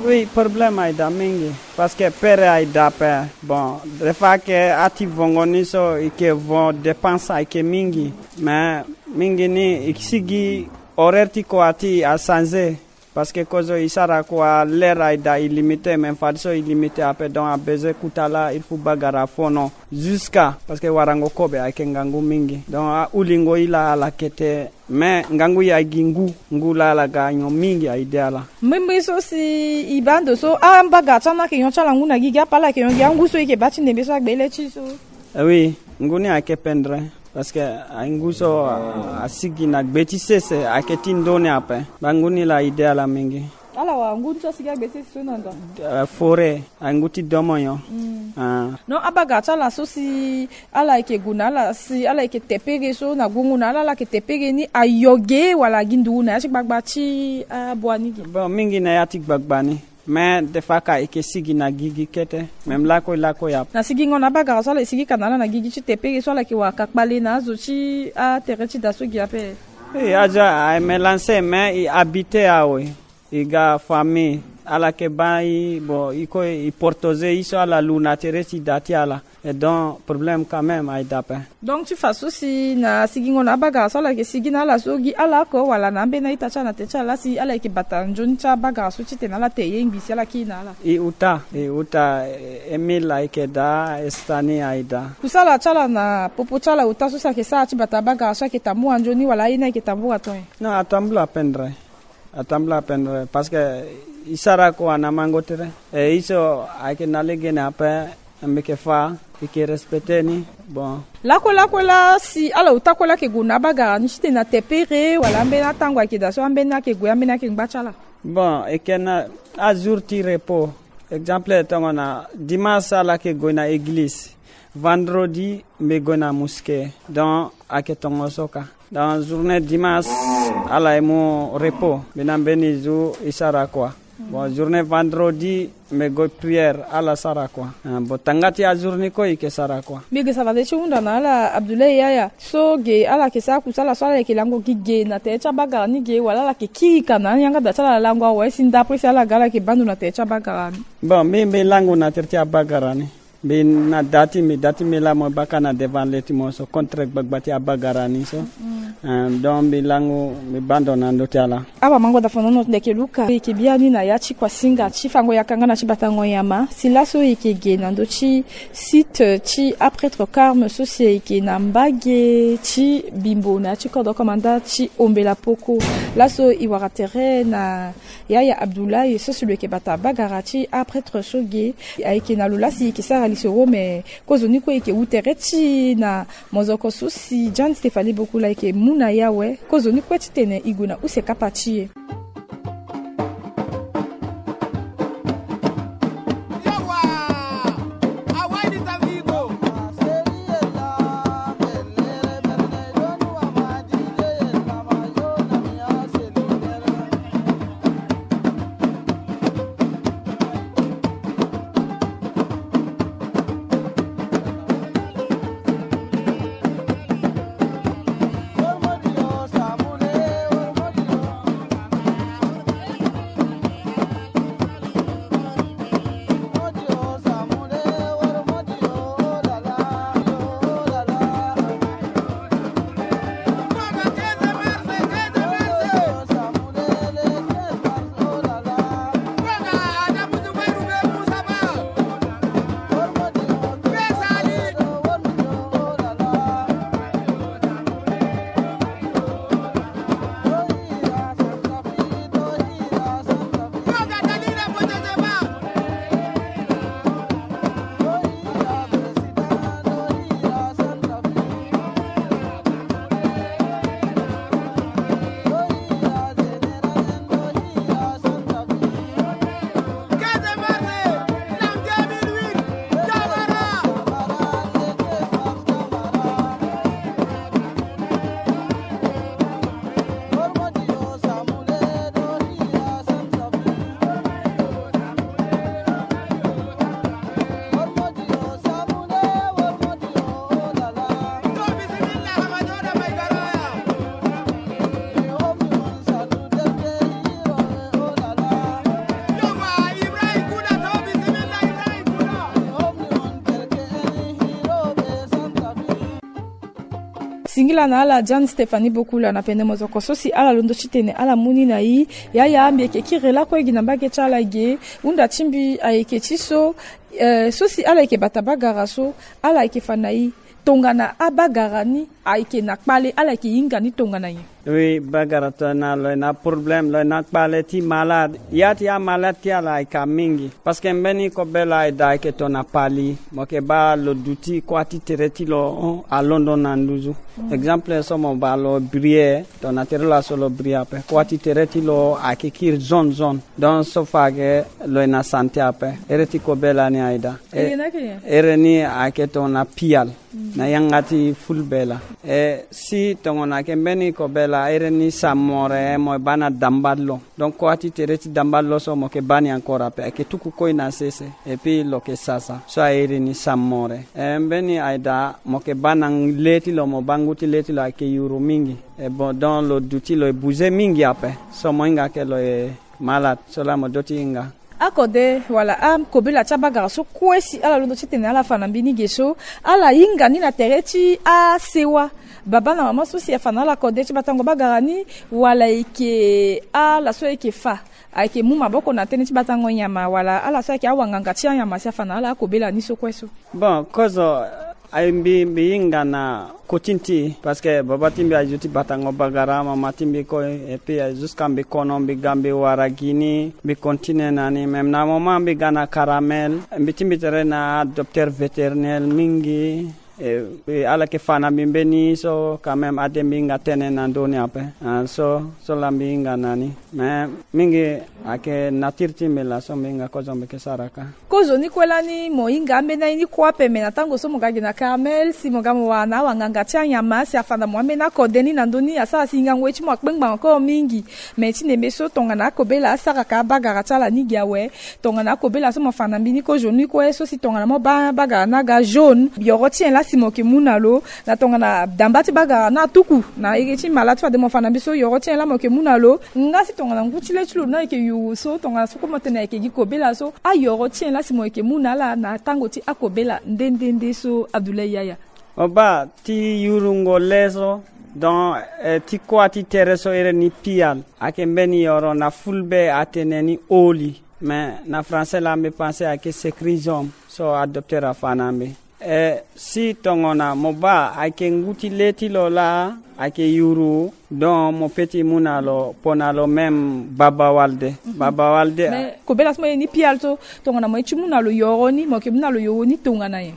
Oui, problème aye daa mingi. Parce que pere aye daa ape. Bon, des fois que ati vongo ni so e yeke vo, dépense ayeke mingi. Mais mingi ni e sigi horaire ti kua ti e achanger. Parce que kozo e sara kua, l'heure aye daa illimité, même fadeso illimité ape, donc a besoin kota laa il faut bagara afono. Jusqu'à, parce que warango kobe ayeke ngangu mingi. Donc ahulingo e laa ala yeke te. Mais ngangu e aye gi ngu, ngu laa ala ga nyon mingi aye daa ala. Mbrimbri so si e baa ndo so, abagara ti ala ni ayeke nyon ti ala ngu na gigi ape, ala yeke nyon gi angu so e yeke baa ti ndembe so agbe le ti e so? Eh oui, ngu ni ayeke pendere. Parce que aye ngu so a, asigi na gbe ti sese, ayeke ti ndö ni ape. Bangu ni laa e de ala mingi. Ala wara ngu ni so asigi agbe ti sese so na ndo? Eh, forêt, aye ngu ti domonyo. Mm. Ah. Non, abagara ti ala so si ala yeke gue na ala, si ala yeke te pere so na gungu na ala, ala yeke te pere ni ayo ge wala agi nduru na ya ti gbagba ti abua ni ge? Bon, mingi na ya ti gbagba ni. Mais des fois ka e yeke sigi na gigi kete, même lakue lakue ape. Na sigingo na abagara so ala yeke sigi ka na ala na gigi ti te pere so ala yeke wara ka kpale na azo ti atere ti da so gi ape? Eh, azo aye mélange, mais e habite awe. E ga famille, ala yeke baa e, bon, e kue e protéger e so ala lu na tere ti da ti ala. Et donc problème quand même aye daa ape. Donc ti fa so si na sigingo na abagara so ala yeke sigi na ala so gi ala oko wala na ambeni a-ita ti ala na te ti ala laa si ala yeke bata nzoni ti abagara so titene ala te ye ngbi si ala kiri na ala? E uta, e uta, eh, Émile ayeke daa, Estani aye daa. Kusala ti ala na popo ti ala ota so si ayeke sara ti bata abagara so ayeke tambula nzoni wala aye ni ayeke tambula to nyen? Non, atambula pendere. Atambula pendere parce que e sara kua na mango tere. E e so ayeke na lege ni ape, mbi yeke fa, e yeke respecter ni. Bon. Lakue lakue laa si ala ota kue laa ayeke gue na abagara ni titene ate pere wala ambeni atango ayeke daa so, ambeni ayeke gue, ambeni ayeke ngba ti ala? Bon, e yeke na ajour ti repos. Exemple tongana dimanche ala yeke gue na église. Vendredi mbi gue na mosquée. Donc ayeke tongo so ka. Donc journée dimanche, ala e mu repos, mbi na mbeni jour e sara kua. Bon, journée vendredi, mbi go prière, ala sara kua. Ah, bon, tanga ti ajour ni kue e yeke sara kua. Mbi yeke sara nde ti hunda na ala Abdoulaye Yaya so ge ala yeke sara kusala so ala yeke lango gi ge na tere ti abagara ni ge, wala ala yeke kiri ka na ayanga da ti ala lango awe si ndapre si ala ga ala yeke baa ndo na tere ti abagara ni. Bon, mbi mbi lango na tere ti abagara ni. Mbi na da ti mbi, da ti mbi laa mo baa ka na devant le ti mo so contre gbagba ti abagara ni so. Ah, donc mbi lango mbi baa ndo na ndö ti ala. Awa mango da fanono ndeke luka e yeke biani na ya ti kuasinga ti fango yaka nga na ti batango nyama si laso e yeke ge na ndö ti site ti aprêtre Carme so si e yeke na mbage ti Bimbo na ya ti kodro komanda ti Ombela Poko. Laso e wara tere na Yaya Abdoulaye so si lo yeke bata bagara ti aprêtre so ge. Ayeke na lo laa si e yeke sara lisoro me kozo ni kue e yeke wu tere ti e na mozoko so si John Stéphanie Bokula e yeke mu na e awe. Kozo ni kue titene e gue na use kapa ti e. Singila na ala John Stéphanie Bokula na pene mozoko so si ala londo titene ala mu ni na e. Yaya mbi yeke kiri lakue gi na mbage ti ala ge. Hunda ti mbi ayeke ti so, eh, so si ala yeke bata bagara so, ala yeke fa na e tongana abagara ni ayeke na kpale, ala yeke hinga ni tongana nyen? Oui, bagara tongana lo yeke na problème, lo yeke na kpale ti malade. Ya ti amalade ti ala ayeke mingi. Parce que mbeni kobela ayeke daa ayeke tongana pali, mo yeke baa lo duti kuâ ti tere ti lo, oh, alondo na nduzu. Exemple so mo baa lo briller, tongana tere laso lo briller ape. Kuâ ti tere ti lo ayeke kiri zone zone. Donc so fa ayeke lo yeke na santé ape. Ere ti kobela ni ayeke daa. E, ere ni ayeke tongana pial na yanga ti fulbe laa. E si tongana ayeke mbeni kobela, ere ni sa more, mo baa na damba ti lo. Donc kuâ ti tere ti damba ti lo so mo yeke baa ni encore ape, ayeke tuku koi na sese. Et puis lo yeke sasa so airi ni sa more. E mbeni aye daa mo yeke baa na le ti lo, mo baa ngu ti le ti lo ayeke yuru mingi. E bon, donc lo duti lo e bouger mingi ape. So mo hinga ke lo e malade, so laa mo doti hinga. Akode wala akobela ti abagara so kue si ala londo titene ala fa na mbeni ge so, ala hinga ni na tere ti asewa. Baba na mama so si afa na ala kode ti batango bagara ni, wala e yeke ala so e yeke fa, ayeke mu maboko na tënë ti batango nyama, wala ala so ayeke awanganga ti anyama si afa na ala akobela ni so kue so? Bon, kozo, aye mbi, mbi hinga na kotini ti e, parce que baba ti mbi aye zo ti batango bagara, mama ti mbi kue, et puis aye zo jusqu'à mbi kono, mbi ga mbi wara gi ni, mbi continue na ni. Même na moment mbi ga na Caramel, mbi ti mbi tere na docteur vétérinaire mingi. E, e, ala yeke fa na mbi mbeni so quand même ade mbi hinga tënë na ndö ni ape. Ah, so, so laa mbi hinga na ni. Mais mingi ayeke nature ti mbi laa so mbi hinga kozo mbi yeke sara kâ. Kozo ni kue lani mo hinga ambeni aye ni kue ape, me na tango so mo ga gi na Carmel si mo ga mo wara na awanganga ti anyama si afa na mo ambeni akode ni na ndö ni asara si hingango ye ti mo akpengba encore mingi. Me ti nembe so tongana akobela asara ka abagara ti ala ni gi awe. Tongana akobela so mo fa na mbi ni kozo ni kue so si tongana mo baa bagara ni aga jaune, yoro ti nyen laa si mo yeke mu na lo? Na tongana damba ti bagara ni atuku na iri ti mala ti fade mo fa na mbi so, yoro ti nyen laa mo yeke mu na lo? Nga si tongana ngu ti le ti lo ni ayeke yuru so tongana so kue mo tene ayeke gi kobela so, ayoro ti nyen laa si mo yeke mu na ala na tango ti akobela nde nde nde so Abdoulaye Yaya? Mo baa ti yurungo le so, donc, eh, ti kuâ ti tere so iri ni pial, ayeke mbeni yoro na fulbe atene ni oli. Mais na français laa mbi pense ayeke secrésium so adocteur afa na mbi. Eh, si tongana mo baa ayeke ngu ti le ti lo laa ayeke yuru, donc mo peut ti mu na lo, kpo na lo même baba walde. Mhm. Baba walde. Mais kobela so mo ye ni pial so, tongana mo ye ti mu na lo yoro ni, mo yeke mu na lo yoro ni tongana nyen?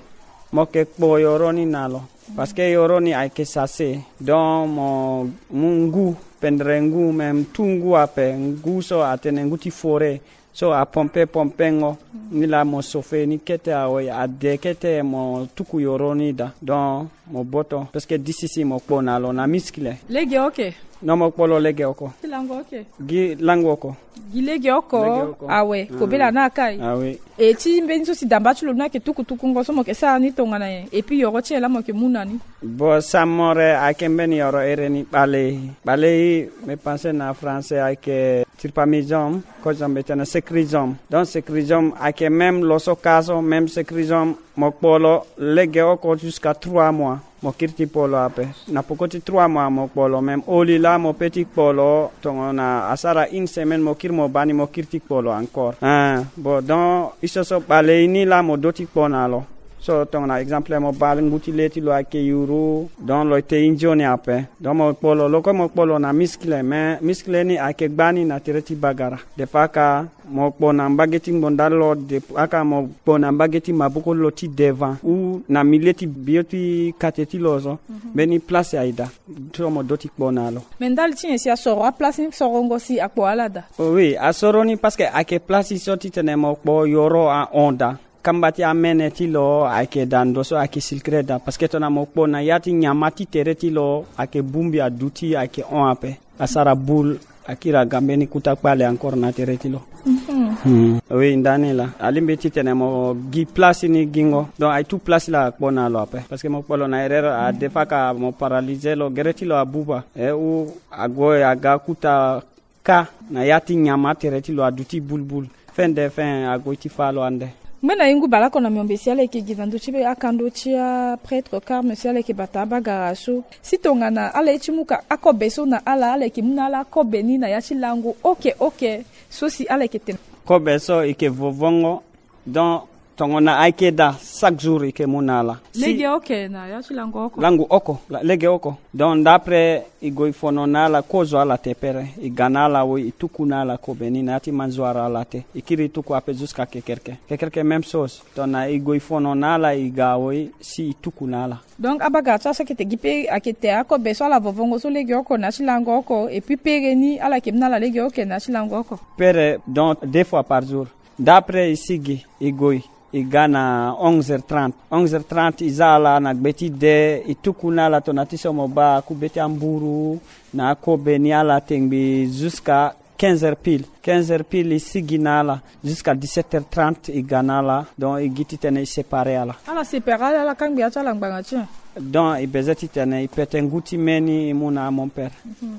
Mo yeke kpo yoro ni na lo. Parce que yoro ni ayeke sase. Donc mo mu ngu, pendere ngu, même tout ngu ape, ngu so atene ngu ti forêt. So apompe pompengo ni laa mo sofe ni kete awe, ade kete mo tuku yoro ni daa. Donc mo boto, parce que disi si mo kpo na lo na miskile. Lege oke. Non, mo kpo lo lege oko. Ti lango oke. Gi lango oko. Gi lege oko. Lege oko. Awe. Ah. Kobela ni akai. Ah oui. E ti mbeni so si damba ti lo ni ayeke tukutukungo so mo yeke sara ni tongana nyen? Et puis yoro ti nyen laa mo yeke mu na ni? Bon, samore ayeke mbeni yoro iri ni kpalei. Kpalei, me pense na français ayeke trypanosome, kozo mbi tene secrésium. Donc secrésium ayeke même lo so kâ so, même secrésium, mo kpo lo lege oko jusqu'à trois mois. Mo kiri ti kpo lo ape. Na poko ti trois mois mo kpo lo même. Oli laa mo peut ti kpo lo, tongana asara une semaine mo kiri mo baa ni, mo kiri ti kpo lo encore. Hein, bon, donc, i so so kpalei ni laa mo doti kpo na lo. So tongana exemple mo baa ngu ti le ti lo ayeke yuru, donc lo ete i nzoni ape. Donc mo kpo lo, lo kue mo kpo lo na miskile, mais miskile ni ayeke gbani na tere ti bagara. Des fois ka mo kpo na mbage ti ngbonda lo, de aka mo kpo na mbage ti maboko lo ti devant ou na milieu ti bio ti kate ti lo so. Mhm. Mbeni place aye daa. So mo doti kpo na lo. Me ndali ti nyen si asoro aplace ni sorongo si akpo ala daa? Oh oui, asoro ni parce que ayeke place so titene mo kpo yoro ahon daa. Kamba ti amene ti lo ayeke daa, ndo so ayeke circuler daa, parce que tongana mo kpo na ya ti nyama ti tere ti lo, ayeke bongbi aduti, ayeke hon ape. Asara boule, akiri aga mbeni kuta kpale encore na tere ti lo. Mhm. Hmm. Oui, ndani laa. Alingbi titene mo gi place ni gingo. Donc aye tout place laa akpo na lo ape. Parce que mo kpo lo na erreur, a des fois ka mo paralyser lo, gere ti lo abuba. E ou ague aga kuta kâ na ya ti nyama tere ti lo aduti bulbul. Fin de fin ague ti fâ lo ande. Ngbene ye ngu bale oko na miombe si ala yeke gi na ndö ti be akando ti aprêtre Carme si ala yeke bata abagara so. Si tongana ala ye ti mu ka akobe so na ala, ala yeke mu na ala akobe ni na ya ti lango oke oke so si ala yeke tene? Kobe so e yeke vovongo. Donc tongana ayeke daa, chaque jour e yeke mu na ala. Si lege oke na ya ti lango oko. Lango oko, la-, lege oko. Donc ndapre e gue e fono na ala, kozo ala te pere, e ga na ala we, e tuku na ala kobe ni na ya ti manzoara ala te. E kiri e tuku ape jusqu'à kekereke. Kekereke même chose. Tongana e gue e fono na ala, e ga we, si e tuku na ala. Donc abagara ti ala so ayeke te gi pe ayeke te akobe so ala vovongo so lege oko na ya ti lango oko, et puis pere ni ala yeke mu na ala lege oke na ya ti lango oko. Pere, donc deux fois par jour. Ndapre e sigi, e gue, e ga na onze heures trente. Onze heures trente e za ala na gbe ti de, e tuku na ala tongana ti so mo baa akube ti amburu na akobe ni, ala tengbi jusqu'à quinze heures pile. Quinze heures pile e sigi na ala jusqu'à dix-sept heures trente, e ga na ala. Donc e gi titene e séparer ala. Ala séparer ala, ala kangbi ya ti ala ngbanga ti nyen? Donc e besoin titene e pete ngu ti me ni, e mu na mon père. Mhm.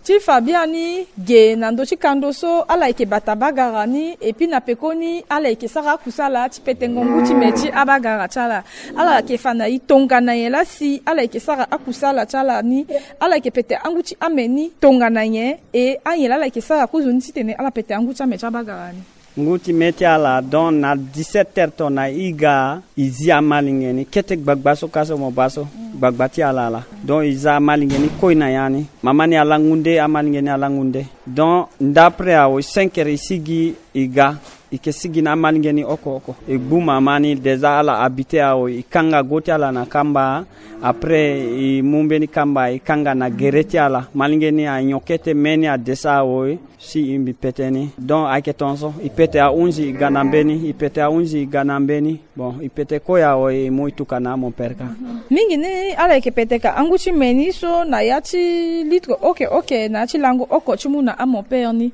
Ti fa biani ge na ndö ti kando so ala yeke bata bagara ni, et puis na pekoni ala yeke sara akusala ti petengo ngu ti me ti abagara ti ala. Ala yeke fa na e tongana nyen laa si ala yeke sara akusala ti ala ni? Ala yeke pete angu ti ame ni tongana nyen? E anyen laa ala yeke sara kozoni titene ala pete angu ti ame ti abagara ni? Ngu ti me ti ala, donc na dix-sept heures tongana e ga, e zi amalenge ni kete gbagba so ka so mo baa so, gbagba ti ala laa. Donc e za amalenge ni koi na ya ni. Mama ni alangu nde, amalenge ni alangu nde. Donc ndapre awe cinq heures e sigi e ga. E ke sigi na amalenge ni oko oko. E gbu mama ni, déjà ala habité awe, e kanga go ti ala na kamba. Après e mu mbeni kamba e kanga na gere ti ala. Malenge ni anyon kete, me ni adesa awe. Si e mbi pete ni. Donc ayeke tongaso, e pete ahunzi e ga na mbeni, e pete ahunzi e ga na mbeni. Bon, e pete kue awe, e mu e tuka na amon père ka. Mingi ni ala yeke pete ka angu ti me ni so na ya ti litre oke oke na ya ti lango oko ti mu na amon père ni.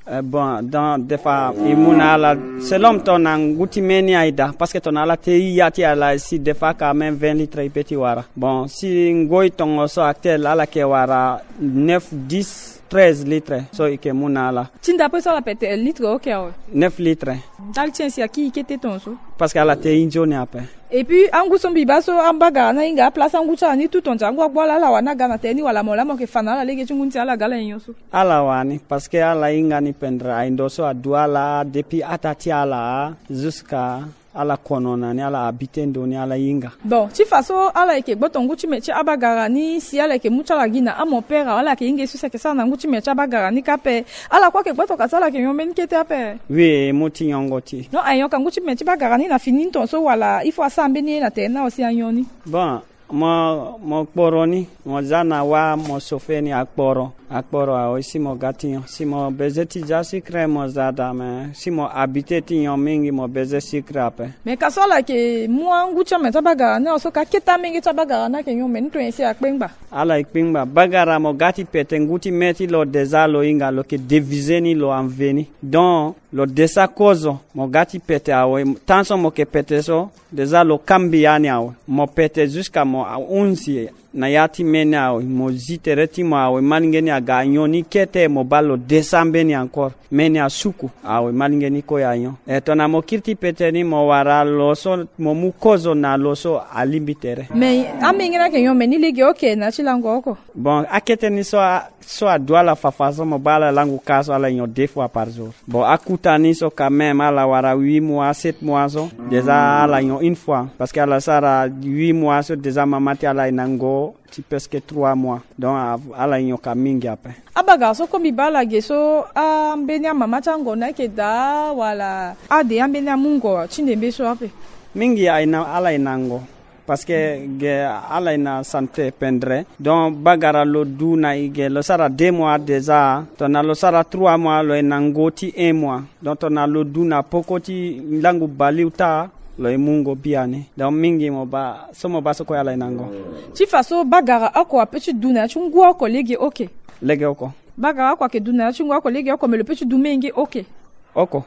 Eh, bon, donc des fois e mu na ala selon tongana ngu ti me ni aye daa, parce que tongana ala te ya ti ala si des fois quand même vingt litres e peut ti wara. Bon, si ngoi tongaso actuel ala yeke wara neuf, dix, treize litres so e yeke mu na ala. Ti ndape so ala pete litre oke awe? Neuf litres. Ndali ti nyen si aki e kete tongaso? Parce que ala te e nzoni ape. Et puis angu so mbi baa so abagara ni ahinga place angu ti ala ni tout tonga angu agbu ala, ala wani aga na tere ni wala mo laa mo yeke fa na ala lege ti ngu ni si ala ga ala nyon so? Ala wani, parce que ala hinga ni pendere, aye ndo so adu ala depuis ata ti ala jusqu'à ala kono na ni, ala habité ndo ni, ala hinga. Bon, ti fa so ala yeke gboto ngu ti me ti abagara ni si ala yeke mu ti ala gi na amon père awe, ala yeke hinga e so si ayeke sara na ngu ti me ti abagara ni kâ ape? Ala kue ayeke gboto ka si ala yeke nyon mbeni kete ape? Oui, e mu ti nyongo ti e. Non, aye nyon ka ngu ti me ti bagara ni na fini ni tongaso wala il faut asara mbeni ye na tere ni awe si anyon ni? Bon, mo, mo kporo ni, mo za na wâ, mo chauffer ni akporo. Akporo awe, si mo ga ti nyon, si mo besoin ti za sucre mo za daa, mais si mo habité ti nyon mingi mo besoin sucre ape. Mais ka so ala yeke mu angu ti ame ti abagara ni awe so ka kete amenge ti abagara ni ayeke nyon me ni to nyen si akpengba? Ala e kpengba. Bagara mo ga ti pete ngu ti me ti lo déjà lo hinga, lo yeke diviser ni, lo enlever ni. Donc lo desa kozo, mo ga ti pete awe, tant so mo yeke pete so, déjà lo kambi ya ni awe. Mo pete jusqu'à mo ahunzi na ya ti me ni awe, mo zi tere ti mo awe, malenge ni aga anyon ni kete, mo baa lo desa mbeni encore. Me ni asuku awe, malenge ni kue anyon. E tongana mo kiri ti pete ni mo wara lo so, mo mu kozo na lo so alingbi tere. Mais amenge ni ayeke nyon me ni lege oke na ya ti lango oko? Bon, akete ni so a, so adu ala fafa so mo baa ala langu ka so ala nyon deux fois par jour. Bon, akuta ni so quand même ala wara huit mois, sept mois so, déjà ala nyon une fois, parce que ala sara huit mois so déjà mama ti ala aye na ngo ti presque trois mois. Donc a, ala nyon ka mingi ape. Abagara so kue mbi baa ala ge so, ambeni amama ti ango ni ayeke daa wala ade ambeni amungo ti ndembe so ape? Mingi aye na, ala aye na ngo. Parce que ge ala aye na santé pendere. Donc bagara lo du na e ge lo sara deux mois déjà. Tongana lo sara trois mois lo ye na ngo ti un mois. Donc tongana lo du na poko ti langu bale ota, lo ye mu ngo biani. Donc mingi mo baa so, mo baa so kue ala aye na ngo. Ti fa so bagara oko ape ti du na ya ti ngu oko lege oke? Lege oko. Bagara oko ayeke du na ya ti ngu oko lege oko, me lo pe ti du menge oke? Oko.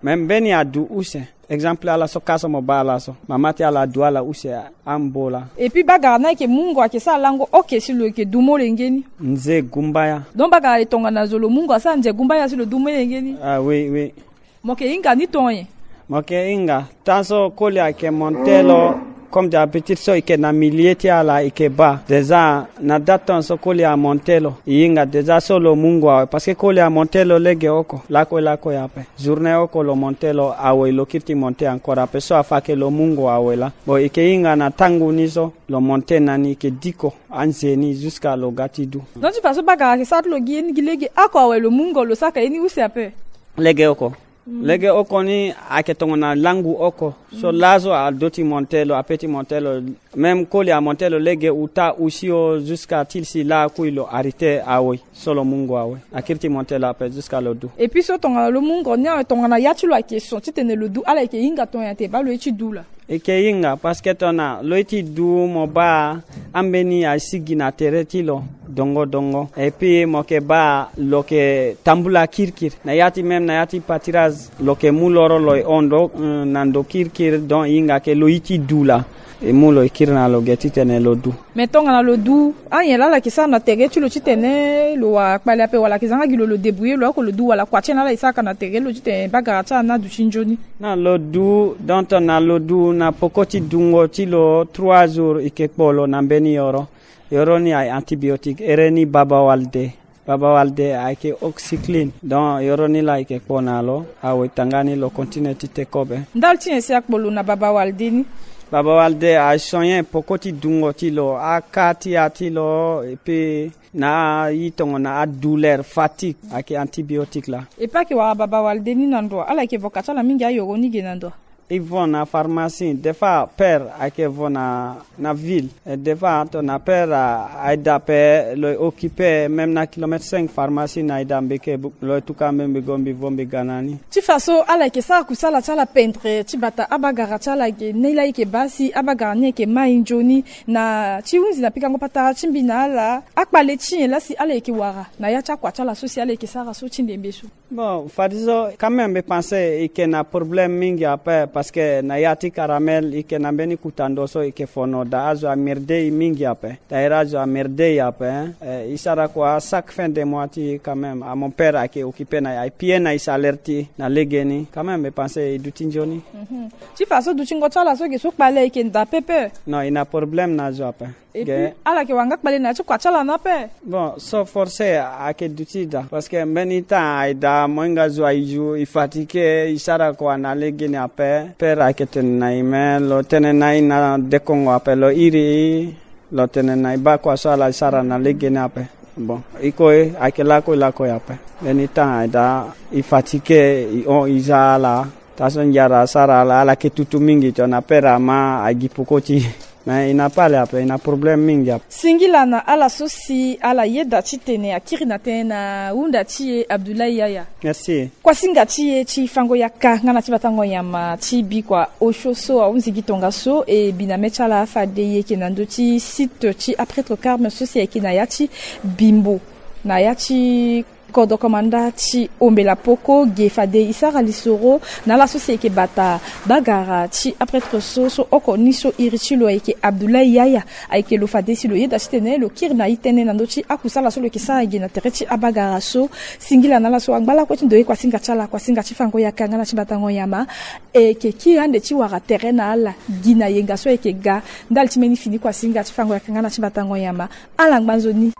Me mbeni adu use. Exemple ala so ka so mo baa ala so, mama ti ala adu ala use ambo laa. Et puis bagara ni ayeke mu ngo ayeke sara lango oke si lo yeke du molenge ni? Nze gumbaya. Donc bagara e tongana zo lo mu ngo asara nze gumbaya si lo du molenge ni? Ah oui, oui. Mo yeke hinga ni tonye? Mo yeke hinga. Tant so koli ayeke monté lo, comme d'habitude so e yeke na milieu ti ala e yeke baa. Déjà na date tongaso koli amonté lo, e hinga déjà so lo mu ngo awe, parce que koli amonté lo lege oko lakue lakue ape. Journée oko lo monté lo awe, lo kiri ti monté encore ape, so afa ke lo mu ngo awe laa. Bon, e yeke hinga na tangu ni so lo monté na ni, e yeke diko anze ni jusqu'à lo ga ti du. Donc ti fa so bagara ayeke sara ti lo gi ye ni gi lege oko awe lo mu ngo lo saka ye ni use ape? Lege oko. Lege oko ni ayeke tongana langu oko. So laso ado ti monté lo, ape ti monté lo. Même koli amonté lo lege ota usio jusqu'à ti si lakui lo arrêté awe. So lo mu ngo awe. Akiri ti monté lo ape jusqu'à lo du. Et puis so tongana lo mu ngo ni awe, tongana ya ti lo ayeke son titene lo du, ala yeke hinga tongana te baa lo ye ti du laa? E yeke hinga, parce que tongana lo ye ti du mo baa ambeni asigi na tere ti lo dongo dongo. Et puis mo yeke baa lo yeke tambula kirikiri. Na ya ti même na ya ti pâturage lo yeke mu loro lo ye hon ndo, euh, na ndo kirikiri, donc e hinga ke lo ye ti du laa. E mu lo e kiri na lo ge titene lo du. Mais tongana lo du, anyen laa ala yeke sara na tere ti lo titene lo wara kpale ape, wala ayeke zanga gi lo lo débrouiller lo oko lo du, wala kua ti nyen laa ala yeke sara ka na tere ti lo titene bagara ti ala ni adu ti nzoni? Na lo du, donc tongana lo du na poko ti dungo ti lo trois jours e yeke kpo lo na mbeni yoro. Yoro ni aye antibiotique, ere ni baba walde. Baba walde ayeke oxycline. Donc yoro ni laa e yeke kpo na lo, awe tanga ni lo continue ti te kobe. Ndali ti nyen si akpo lo na baba walde ni? Baba Walde a soigner poko ti dungo ti lo, aka ti ya ti lo, et puis na ayi tongo na adouleur, fatigue, ayeke antibiotique laa. Et puis ayeke wara Baba Walde ni na ndo, ala yeke vo ka ti ala mingi ayoro ni ge na ndo. I vo na pharmacie, des fois père ayeke vo na, na ville. Et des fois tongana père a, aye da ape, lo occupé même na kilomètre cinq pharmacie na aye da mbeke, lo tuka mbi, mbi go mbi vo mbi ga na ni. Ti fa so ala yeke sara kusala ti ala pendre ti bata abagara ti ala ge, ni laa e yeke baa si abagara ni ayeke mai nzoni. Na ti hunzi na pikango patara ti mbi na ala, akpale ti nyen laa si ala yeke wara na ya ti akua ti ala so si ala yeke sara so ti ndembe so? Bon, fadeso quand même mbi pense e yeke na problème mingi ape, parce que na ya ti Caramel e yeke na mbeni kuta ndo so e yeke fono daa, azo amerde e mingi ape. D'ailleurs azo amerde e ape, hein. Eh, e sara kua chaque fin de mois ti e quand même, ah, mon père ayeke occupé na e, aye pie na e salaire ti e na legeni. Quand même mbi pense e duti nzoni. Mhm. Ti fa so dutingo ti ala so ge so kpale ayeke nda pepe? Non, e na problème na azo ape. Et puis ala yeke wara nga kpale na ya ti kua ti ala ni ape. Bon, so forcé ayeke duti daa, parce que mbeni temps aye daa mo hinga zo aye zo, e fatigué, e sara kua na legeni ape. Père ayeke tene na e, mais lo tene na e na dekongo ape, lo iri e, lo tene na e baa kua so ala sara na legeni ape. Bon, e kue ayeke lakue lakue ape. Mbeni temps aye daa e fatigué, e hon e za ala. Taa so ngiara asara ala, ala yeke tutu mingi, tongana père ama, a gi poko ti e. Mais e na pale ape, e na problème mingi ape. Singila na ala so si ala yeda titene akiri na tënë na hunda ti e Abdoulaye Yaya. Merci. Kuasinga ti e ti fango yaka nga na ti batango nyama ti bikua osio so ahunzi gi tongaso, e bi na mê ti ala fade e yeke na ndö ti site ti aprêtre Carme so si ayeke na ya ti Bimbo, na ya ti kodro komanda ti Ombela Poko ge, fade e sara lisoro na ala so si ayeke bata bagara ti aprêtre so, so oko ni so iri ti lo ayeke Abdoulaye Yaya. Ayeke lo fade si lo yeda titene lo kiri na e tënë na ndö ti akusala so lo yeke sara ge na tere ti abagara so. Singila na ala so angba lakue ti ndoye kuasinga ti ala, kuasinga ti fango yaka nga na ti batango nyama. E yeke kiri ande ti wara tere na ala gi na yenga so ayeke ga. Ndali ti mbeni fini kuasinga ti fango yaka nga na ti batango nyama. Ala ngba nzoni.